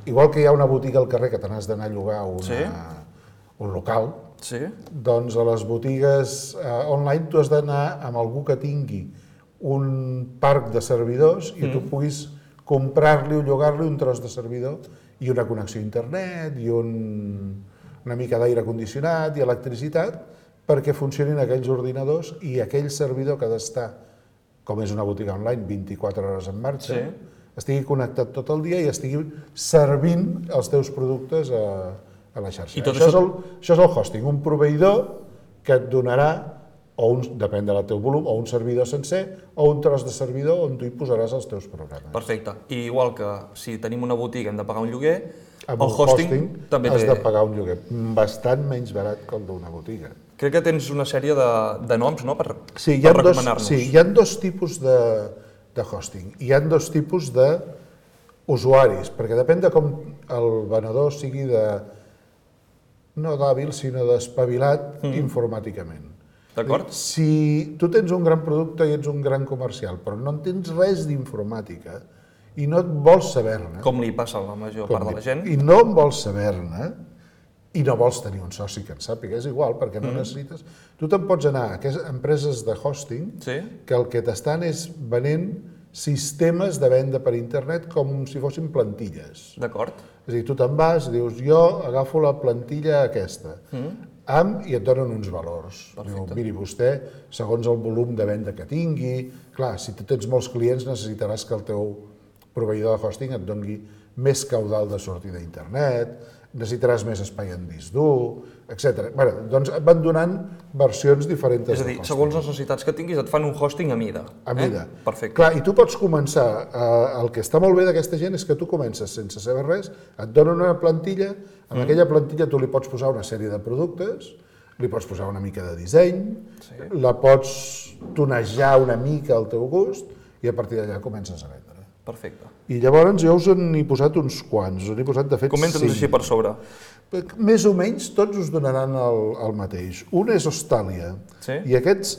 igual que hi ha una botiga al carrer que te n'has d'anar a llogar una, Sí. un local, Sí. doncs a les botigues eh, online tu has d'anar amb algú que tingui un parc de servidors i mm. tu puguis comprar-li o llogar-li un tros de servidor i una connexió a internet i un, una mica d'aire condicionat i electricitat perquè funcionin aquells ordinadors i aquell servidor que ha d'estar, com és una botiga online, vint-i-quatre hores en marxa, Sí. estigui connectat tot el dia i estigui servint els teus productes a, a la xarxa. I tot això, això- és el, això és el hosting, un proveïdor que et donarà, o un, depèn del teu volum, o un servidor sencer, o un tros de servidor on tu hi posaràs els teus programes. Perfecte. I igual que si tenim una botiga hem de pagar un lloguer, Amb el un hosting, hosting també has té... de pagar un lloguer bastant menys barat que el d'una botiga. Crec que tens una sèrie de, de noms, no?, per, Sí, hi per ha dos, recomanar-nos. sí, hi ha dos tipus de, de hosting. Hi ha dos tipus d'usuaris, perquè depèn de com el venedor sigui de, no d'hàbil, sinó d'espavilat mm. informàticament. D'acord? Si tu tens un gran producte i ets un gran comercial, però no en tens res d'informàtica i no et vols saber-ne... Com li passa a la major part de la gent. I no en vols saber-ne, i no vols tenir un soci que en sàpiga, és igual, perquè no necessites... Tu te'n pots anar a aquestes empreses de hosting que el que t'estan és venent sistemes de venda per internet com si fossin plantilles. D'acord. És a dir, tu te'n vas i dius, jo agafo la plantilla aquesta, amb, i et donen uns valors. Diu, miri, vostè, segons el volum de venda que tingui... Clar, si tu tens molts clients necessitaràs que el teu proveïdor de hosting et doni més caudal de sortida a internet, necessitaràs més espai en disc dur, etcètera. Bé, doncs et van donant versions diferents de hosting. És a dir, segons les necessitats que tinguis et fan un hosting a mida. A mida. Perfecte. Clar, i tu pots començar, el que està molt bé d'aquesta gent és que tu comences sense saber res, et donen una plantilla, en aquella plantilla tu li pots posar una sèrie de productes, li pots posar una mica de disseny, la pots tonejar una mica al teu gust i a partir d'allà comences a vendre. Perfecte. I llavors jo us n'he posat uns quants, us n'he posat de fet cinc. Comenta'ns així per sobre. Més o menys tots us donaran el, el mateix. Un és Hostàlia, sí? I aquests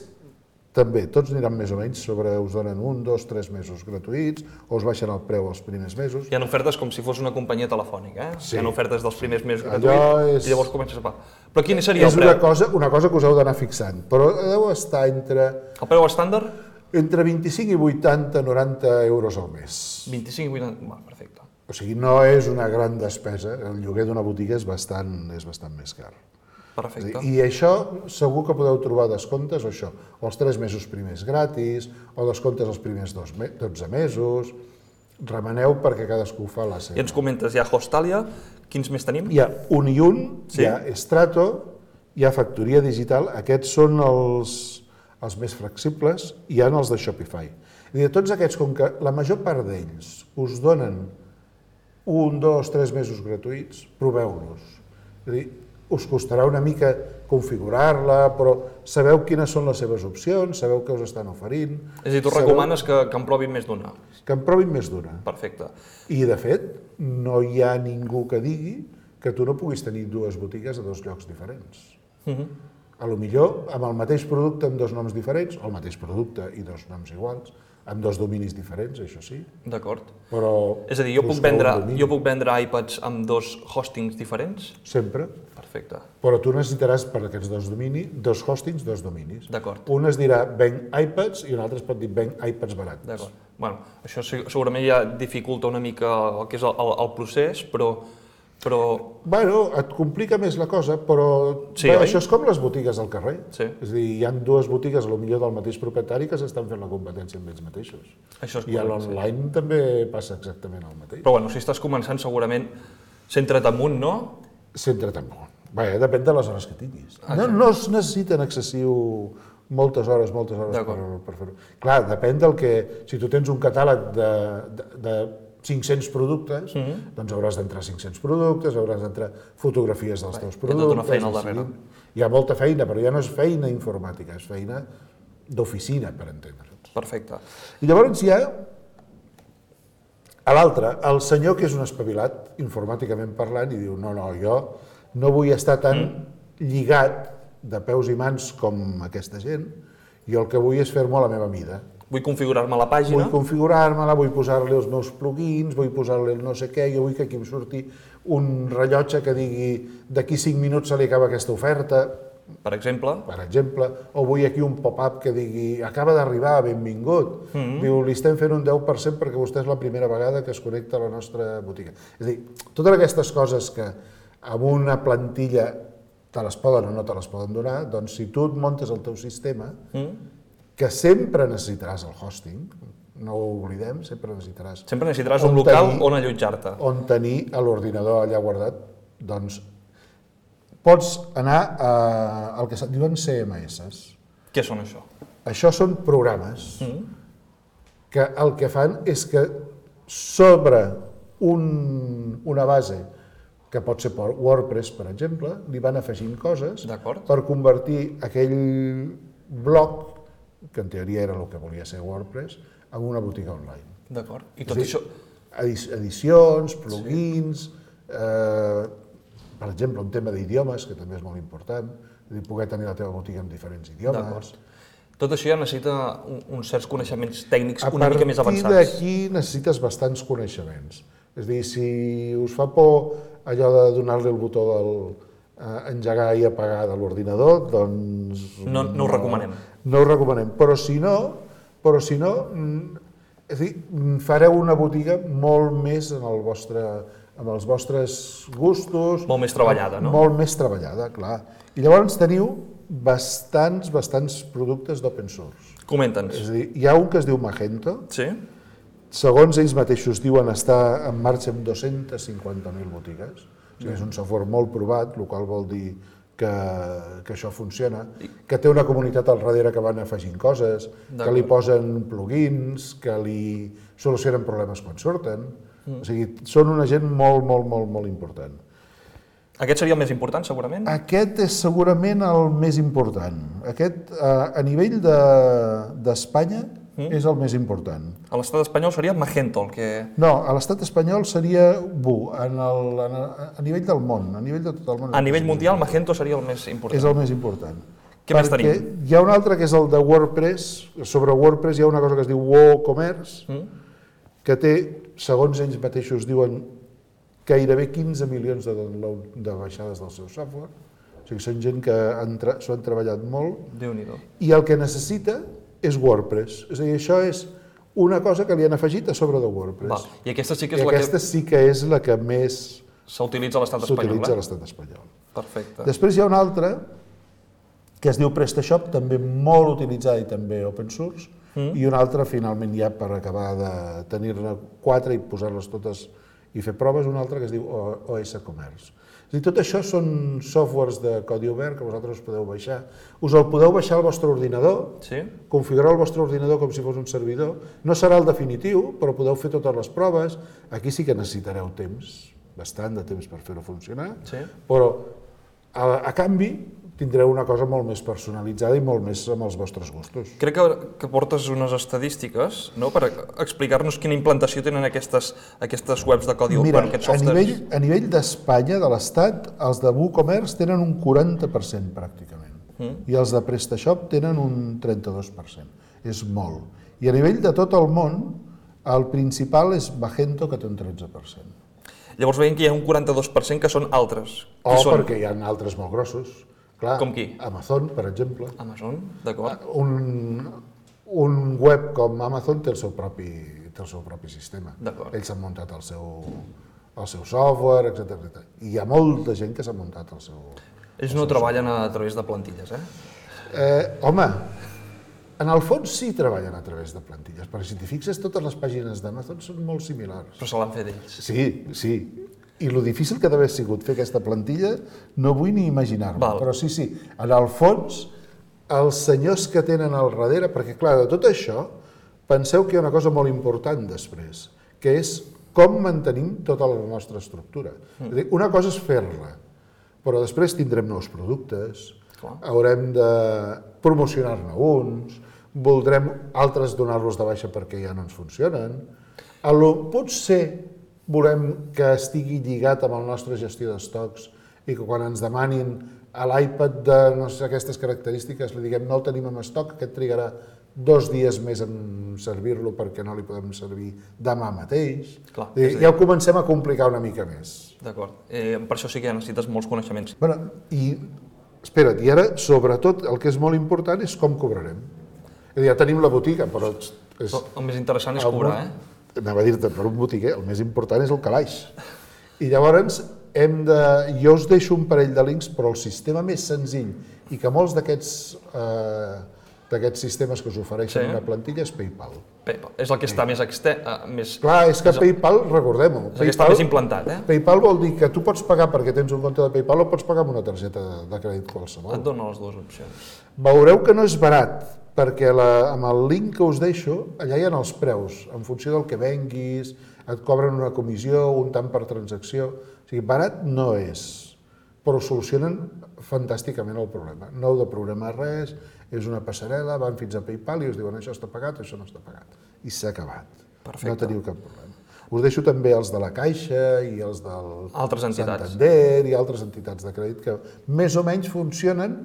també, tots aniran més o menys sobre, us donen un, dos, tres mesos gratuïts, o us baixen el preu els primers mesos. Hi ha ofertes com si fos una companyia telefònica, eh? Sí. Hi ha ofertes dels primers mesos Allò gratuïts és... i llavors comences a pagar. Però quin seria és el preu? una cosa, una cosa que us heu d'anar fixant, però deu estar entre... El preu estàndard? Entre vint-i-cinc i vuitanta, noranta euros al mes. vint-i-cinc i vuitanta, va, perfecte. O sigui, no és una gran despesa, el lloguer d'una botiga és bastant, és bastant més car. Perfecte. I això segur que podeu trobar descomptes, o això, o els tres mesos primers gratis, o descomptes els primers dos, dotze mesos, remeneu perquè cadascú fa la seva. I ens comentes, hi ha Hostàlia, quins més tenim? Hi ha un i un, Sí? hi ha Strato, hi ha Factoria Digital, aquests són els, els més flexibles, i hi ha els de Shopify. I de tots aquests, com que la major part d'ells us donen un, dos, tres mesos gratuïts, proveu-los. És a dir, us costarà una mica configurar-la, però sabeu quines són les seves opcions, sabeu què us estan oferint. És a dir, tu sabeu... recomanes que, que en provin més d'una. Que en provin més d'una. Perfecte. I, de fet, no hi ha ningú que digui que tu no puguis tenir dues botigues a dos llocs diferents. Uh-huh. A lo millor, amb el mateix producte amb dos noms diferents, o el mateix producte i dos noms iguals, amb dos dominis diferents, això sí. D'acord. Però és a dir, jo puc, vendre, jo puc vendre iPads amb dos hostings diferents? Sempre. Perfecte. Però tu necessitaràs per aquests dos dominis, dos hostings, dos dominis. D'acord. Un es dirà venc iPads i un altre es pot dir venc iPads barats. D'acord. Bueno, això segurament ja dificulta una mica el que és el, el, el procés, però... però... Bueno, et complica més la cosa, però Sí, bé, oi? això és com les botigues al carrer. Sí. És a dir, hi ha dues botigues, a lo millor del mateix propietari, que s'estan fent la competència amb ells mateixos. Això és I a correcte, sí. l'online també passa exactament el mateix. Però bueno, si estàs començant segurament centra't amunt, no? Centra't en un. Bé, depèn de les hores que tinguis. No, no es necessiten excessiu moltes hores, moltes hores per, per fer-ho. Clar, depèn del que... Si tu tens un catàleg de, de, de cinc-cents productes, mm-hmm. doncs hauràs d'entrar cinc-cents productes, hauràs d'entrar fotografies dels teus productes... Hi ha tota una feina al darrere. Hi ha molta feina, però ja no és feina informàtica, és feina d'oficina, per entendre'ns. Perfecte. I llavors hi ha a l'altre, el senyor que és un espavilat, informàticament parlant, i diu, no, no, jo no vull estar tan mm. lligat de peus i mans com aquesta gent, jo el que vull és fer-m'ho a la meva mida. Vull configurar-me la pàgina. Vull configurar-me-la, vull posar-li els meus plugins, vull posar-li el no sé què, jo vull que aquí em surti un rellotge que digui d'aquí cinc minuts se li acaba aquesta oferta, per exemple. Per exemple, o vull aquí un pop-up que digui acaba d'arribar, benvingut. Mm-hmm. Diu, li estem fent un deu per cent perquè vostè és la primera vegada que es connecta a la nostra botiga. És a dir, totes aquestes coses que amb una plantilla te les poden o no te les poden donar, doncs si tu et muntes el teu sistema, mm. que sempre necessitaràs el hosting, no ho oblidem, sempre necessitaràs... Sempre necessitaràs un local tenir, on allotjar-te. On tenir l'ordinador allà guardat, doncs pots anar a, al que se'n diuen C M S. Què són això? Això són programes mm. que el que fan és que sobre un, una base que pot ser per WordPress, per exemple, li van afegint coses per convertir aquell bloc, que en teoria era el que volia ser WordPress, en una botiga online. D'acord. I tot això... Edicions, plugins, eh, per exemple, un tema d'idiomes, que també és molt important, és a dir, poder tenir la teva botiga en diferents idiomes. Tot això ja necessita uns certs coneixements tècnics una mica més avançats. A partir d'aquí necessites bastants coneixements. És a dir, si us fa por allò de donar-li el botó del engegar i apagar de l'ordinador, doncs... No, no ho recomanem. No ho recomanem, però si no, però si no, és a dir, fareu una botiga molt més en el vostre, amb els vostres gustos... Molt més treballada, no? Molt més treballada, clar. I llavors teniu bastants, bastants productes d'open source. Comenta'ns. És a dir, hi ha un que es diu Magento. Sí? Segons ells mateixos diuen estar en marxa amb dues-centes cinquanta mil botigues. O sigui, és un software molt provat, el qual vol dir que, que això funciona, que té una comunitat al darrere que van afegint coses, que li posen plugins, que li solucionen problemes quan surten. Mm. O sigui, són una gent molt, molt, molt, molt important. Aquest seria el més important, segurament? Aquest és segurament el més important. Aquest, a nivell d'Espanya, mm. és el més important. A l'estat espanyol seria Magento, el que... No, a l'estat espanyol seria B U, en el, en el, a nivell del món, a nivell de tot el món. A nivell mundial, Magento seria el més important. És el més important. Què més tenim? Perquè hi ha un altre que és el de WordPress. Sobre WordPress hi ha una cosa que es diu WooCommerce, mm. que té, segons ells mateixos diuen, gairebé quinze milions de download de baixades del seu software. O sigui, són gent que s'ho han treballat molt. Déu-n'hi-do. I el que necessita és WordPress. És a dir, això és una cosa que li han afegit a sobre de WordPress. Val. I aquesta sí que és I la aquesta que... sí que és la que més s'utilitza a l'estat espanyol. S'utilitza a l'estat espanyol. Perfecte. Després hi ha una altra que es diu PrestaShop, també molt utilitzada i també open source, mm. i una altra, finalment, ja per acabar de tenir-ne quatre i posar-les totes i fer proves, una altra que es diu O S Commerce. És a dir, tot això són softwares de codi obert que vosaltres us podeu baixar. Us el podeu baixar al vostre ordinador, sí? Configurar el vostre ordinador com si fos un servidor. No serà el definitiu, però podeu fer totes les proves. Aquí sí que necessitareu temps, bastant de temps per fer-ho funcionar, sí? Però a, a canvi tindreu una cosa molt més personalitzada i molt més amb els vostres gustos. Crec que, que portes unes estadístiques, no?, per explicar-nos quina implantació tenen aquestes, aquestes webs de codi obert. Mira, aquests a nivell, a nivell d'Espanya, de l'Estat, els de WooCommerce tenen un quaranta per cent pràcticament, mm. i els de PrestaShop tenen un trenta-dos per cent. És molt. I a nivell de tot el món, el principal és Magento, que té un tretze per cent. Llavors veiem que hi ha un quaranta-dos per cent que són altres. O són? Perquè hi ha altres molt grossos. Clar, com qui? Amazon, per exemple. Amazon, d'acord. Un, un web com Amazon té el seu propi, té el seu propi sistema. Ells han muntat el seu, el seu software, etcètera. I hi ha molta gent que s'ha muntat el seu... Ells no treballen a través de plantilles, eh? eh? Home, en el fons sí treballen a través de plantilles, perquè si t'hi fixes, totes les pàgines d'Amazon són molt similars. Però se l'han fet ells. Sí, sí. I lo difícil que d'haver sigut fer aquesta plantilla no vull ni imaginar-me, però sí, sí, en el fons, els senyors que tenen al darrere, perquè clar, de tot això, penseu que hi ha una cosa molt important després, que és com mantenim tota la nostra estructura. Mm. És a dir, una cosa és fer-la, però després tindrem nous productes, clar. Haurem de promocionar-ne uns, voldrem altres donar-los de baixa perquè ja no ens funcionen. Potser volem que estigui lligat amb la nostra gestió d'estocs i que quan ens demanin a l'iPad de no sé, aquestes característiques li diguem no el tenim en estoc, que trigarà dos dies més en servir-lo perquè no li podem servir demà mateix. Clar, I, ja ho comencem a complicar una mica més. D'acord. Eh, per això sí que necessites molts coneixements. Bueno, i espera't, i ara sobretot el que és molt important és com cobrarem. És a dir, ja tenim la botiga, però... És, el més interessant és cobrar, eh? Anava a dir-te, per un botiguer, el més important és el calaix. I llavors, hem de... jo us deixo un parell de links, però el sistema més senzill i que molts d'aquests eh, d'aquests sistemes que us ofereixen sí. Una plantilla és PayPal. PayPal. És el que està sí. més extern... Uh, més... Clar, és que és PayPal, recordem-ho. És el que està més implantat, eh? PayPal vol dir que tu pots pagar perquè tens un compte de PayPal o pots pagar amb una targeta de crèdit qualsevol. Et dona les dues opcions. Veureu que no és barat, perquè la, amb el link que us deixo, allà hi ha els preus, en funció del que venguis, et cobren una comissió, un tant per transacció, o sigui, barat no és, però solucionen fantàsticament el problema. No heu de programar res, és una passarel·la, van fins a PayPal i us diuen això està pagat, això no està pagat. I s'ha acabat. Perfecte. No teniu cap problema. Us deixo també els de la Caixa i els del Altres entitats. Santander i altres entitats de crèdit que més o menys funcionen.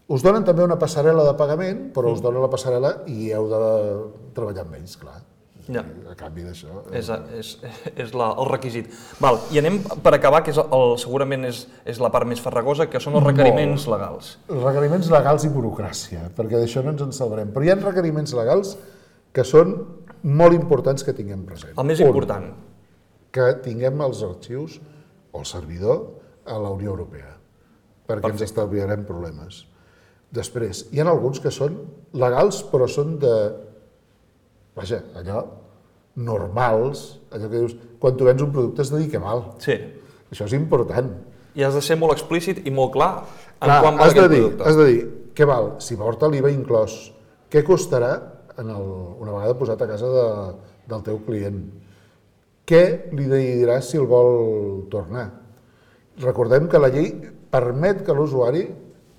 Us donen també una passarel·la de pagament, però us donen la passarel·la i heu de treballar amb ells, clar. Ja. A canvi d'això... És, és, és la, el requisit. Val, i anem per acabar, que és el, segurament és, és la part més farragosa, que són els requeriments Molt. legals. Els requeriments legals i burocràcia, perquè d'això no ens en salvarem. Però hi ha requeriments legals que són molt importants que tinguem present. El més Un, important. que tinguem els arxius o el servidor a la Unió Europea, perquè Perfecte. Ens estalviarem problemes. Després, hi ha alguns que són legals, però són de... Vaja, allò, normals, allò que dius, quan tu vens un producte has de dir que val. Sí. Això és important. I has de ser molt explícit i molt clar en Clar, quan val has de aquest dir, producte. Has de dir, què val? Si porta l'I V A inclòs, què costarà en el, una vegada posat a casa de, del teu client? Què li diràs si el vol tornar? Recordem que la llei permet que l'usuari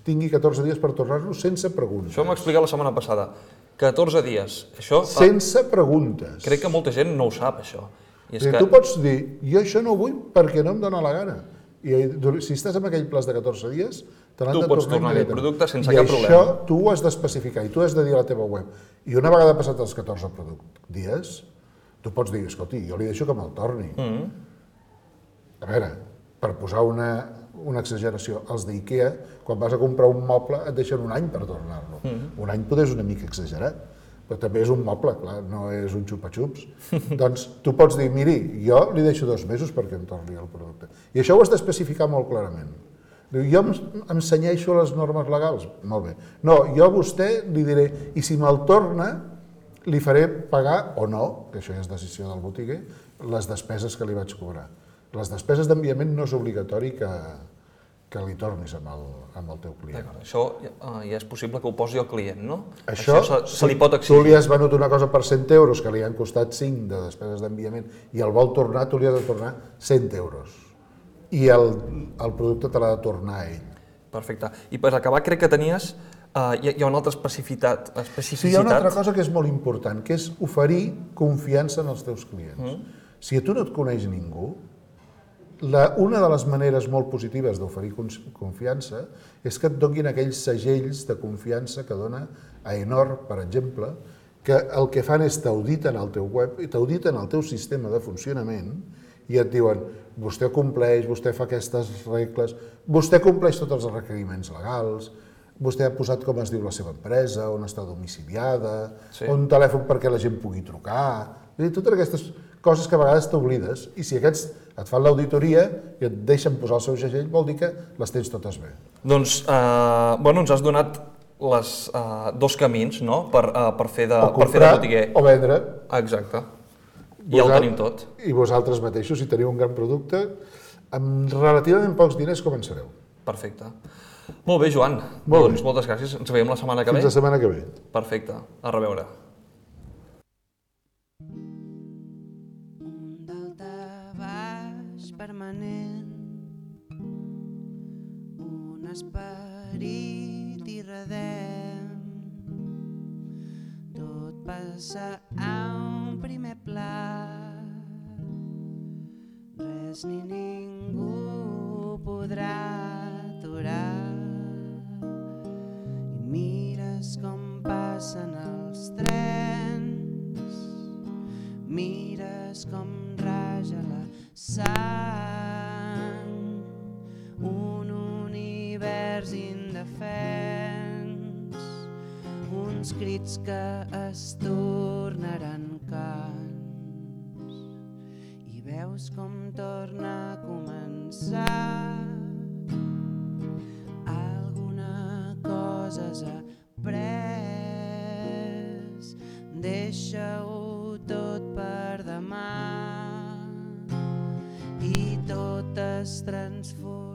tingui catorze dies per tornar-lo sense preguntes. Això m'ho explicat la setmana passada. catorze dies. Això, sense preguntes. Crec que molta gent no ho sap, això. I és que... Tu pots dir, jo això no ho vull perquè no em dona la gana. I si estàs en aquell plaç de catorze dies, te l'han de tornar. Tu pots tornar aquell producte sense cap problema. I això tu ho has d'especificar i tu has de dir a la teva web. I una vegada passat els catorze dies, tu pots dir, escolti, jo li deixo que me'l torni. Mm. A veure, per posar una, una exageració, els d'IKEA, quan vas a comprar un moble et deixen un any per tornar-lo. Mm. Un any poder és una mica exagerat, però també és un moble, clar, no és un xupa-xups. Doncs tu pots dir, miri, jo li deixo dos mesos perquè em torni el producte. I això ho has d'especificar molt clarament. Diu, jo em, em cenyeixo a les normes legals? Molt bé. No, jo a vostè li diré, i si me'l torna, li faré pagar o no, que això ja és decisió del botiguer, les despeses que li vaig cobrar. Les despeses d'enviament no és obligatori que, que li tornis amb el, amb el teu client. Això uh, ja és possible que ho posi el client, no? Això, Això se, se li pot exigir. Tu li has venut una cosa per cent euros que li han costat cinc de despeses d'enviament i el vol tornar, tu li has de tornar cent euros. I el, el producte te l'ha de tornar a ell. Perfecte. I per acabar crec que tenies... Uh, hi, ha, hi ha una altra especificitat, especificitat. Sí, hi ha una altra cosa que és molt important, que és oferir confiança en els teus clients. Mm. Si a tu no et coneix ningú, la, una de les maneres molt positives d'oferir confiança és que et donin aquells segells de confiança que dona Aenor, per exemple, que el que fan és t'auditen al teu web i t'auditen al teu sistema de funcionament i et diuen, vostè compleix, vostè fa aquestes regles, vostè compleix tots els requeriments legals, vostè ha posat com es diu la seva empresa, on està domiciliada, sí. Un telèfon perquè la gent pugui trucar... I totes aquestes coses que a vegades t'oblides, i si aquests et fan l'auditoria i et deixen posar el seu segell, vol dir que les tens totes bé. Doncs, eh, bueno, ens has donat les, eh, dos camins, no?, per, eh, per fer de, o comprar, per fer de botiguer. O vendre. Exacte. I ja ho tenim tot. I vosaltres mateixos, si teniu un gran producte, amb relativament pocs diners començareu. Perfecte. Molt bé, Joan. Molt doncs bé. moltes gràcies. Ens veiem la setmana que ve. Fins la setmana que ve. Perfecte. A reveure. Un daltabaix permanent, un esperit irredem, tot passa a un primer pla, res ni ningú podrà aturar, i mires com passen els trens, mires com raja la sang, un univers indefens, uns crits que es tornaran cants, i veus com torna a començar. Alguna cosa has après, deixa-ho tot per demà i tot es transforma.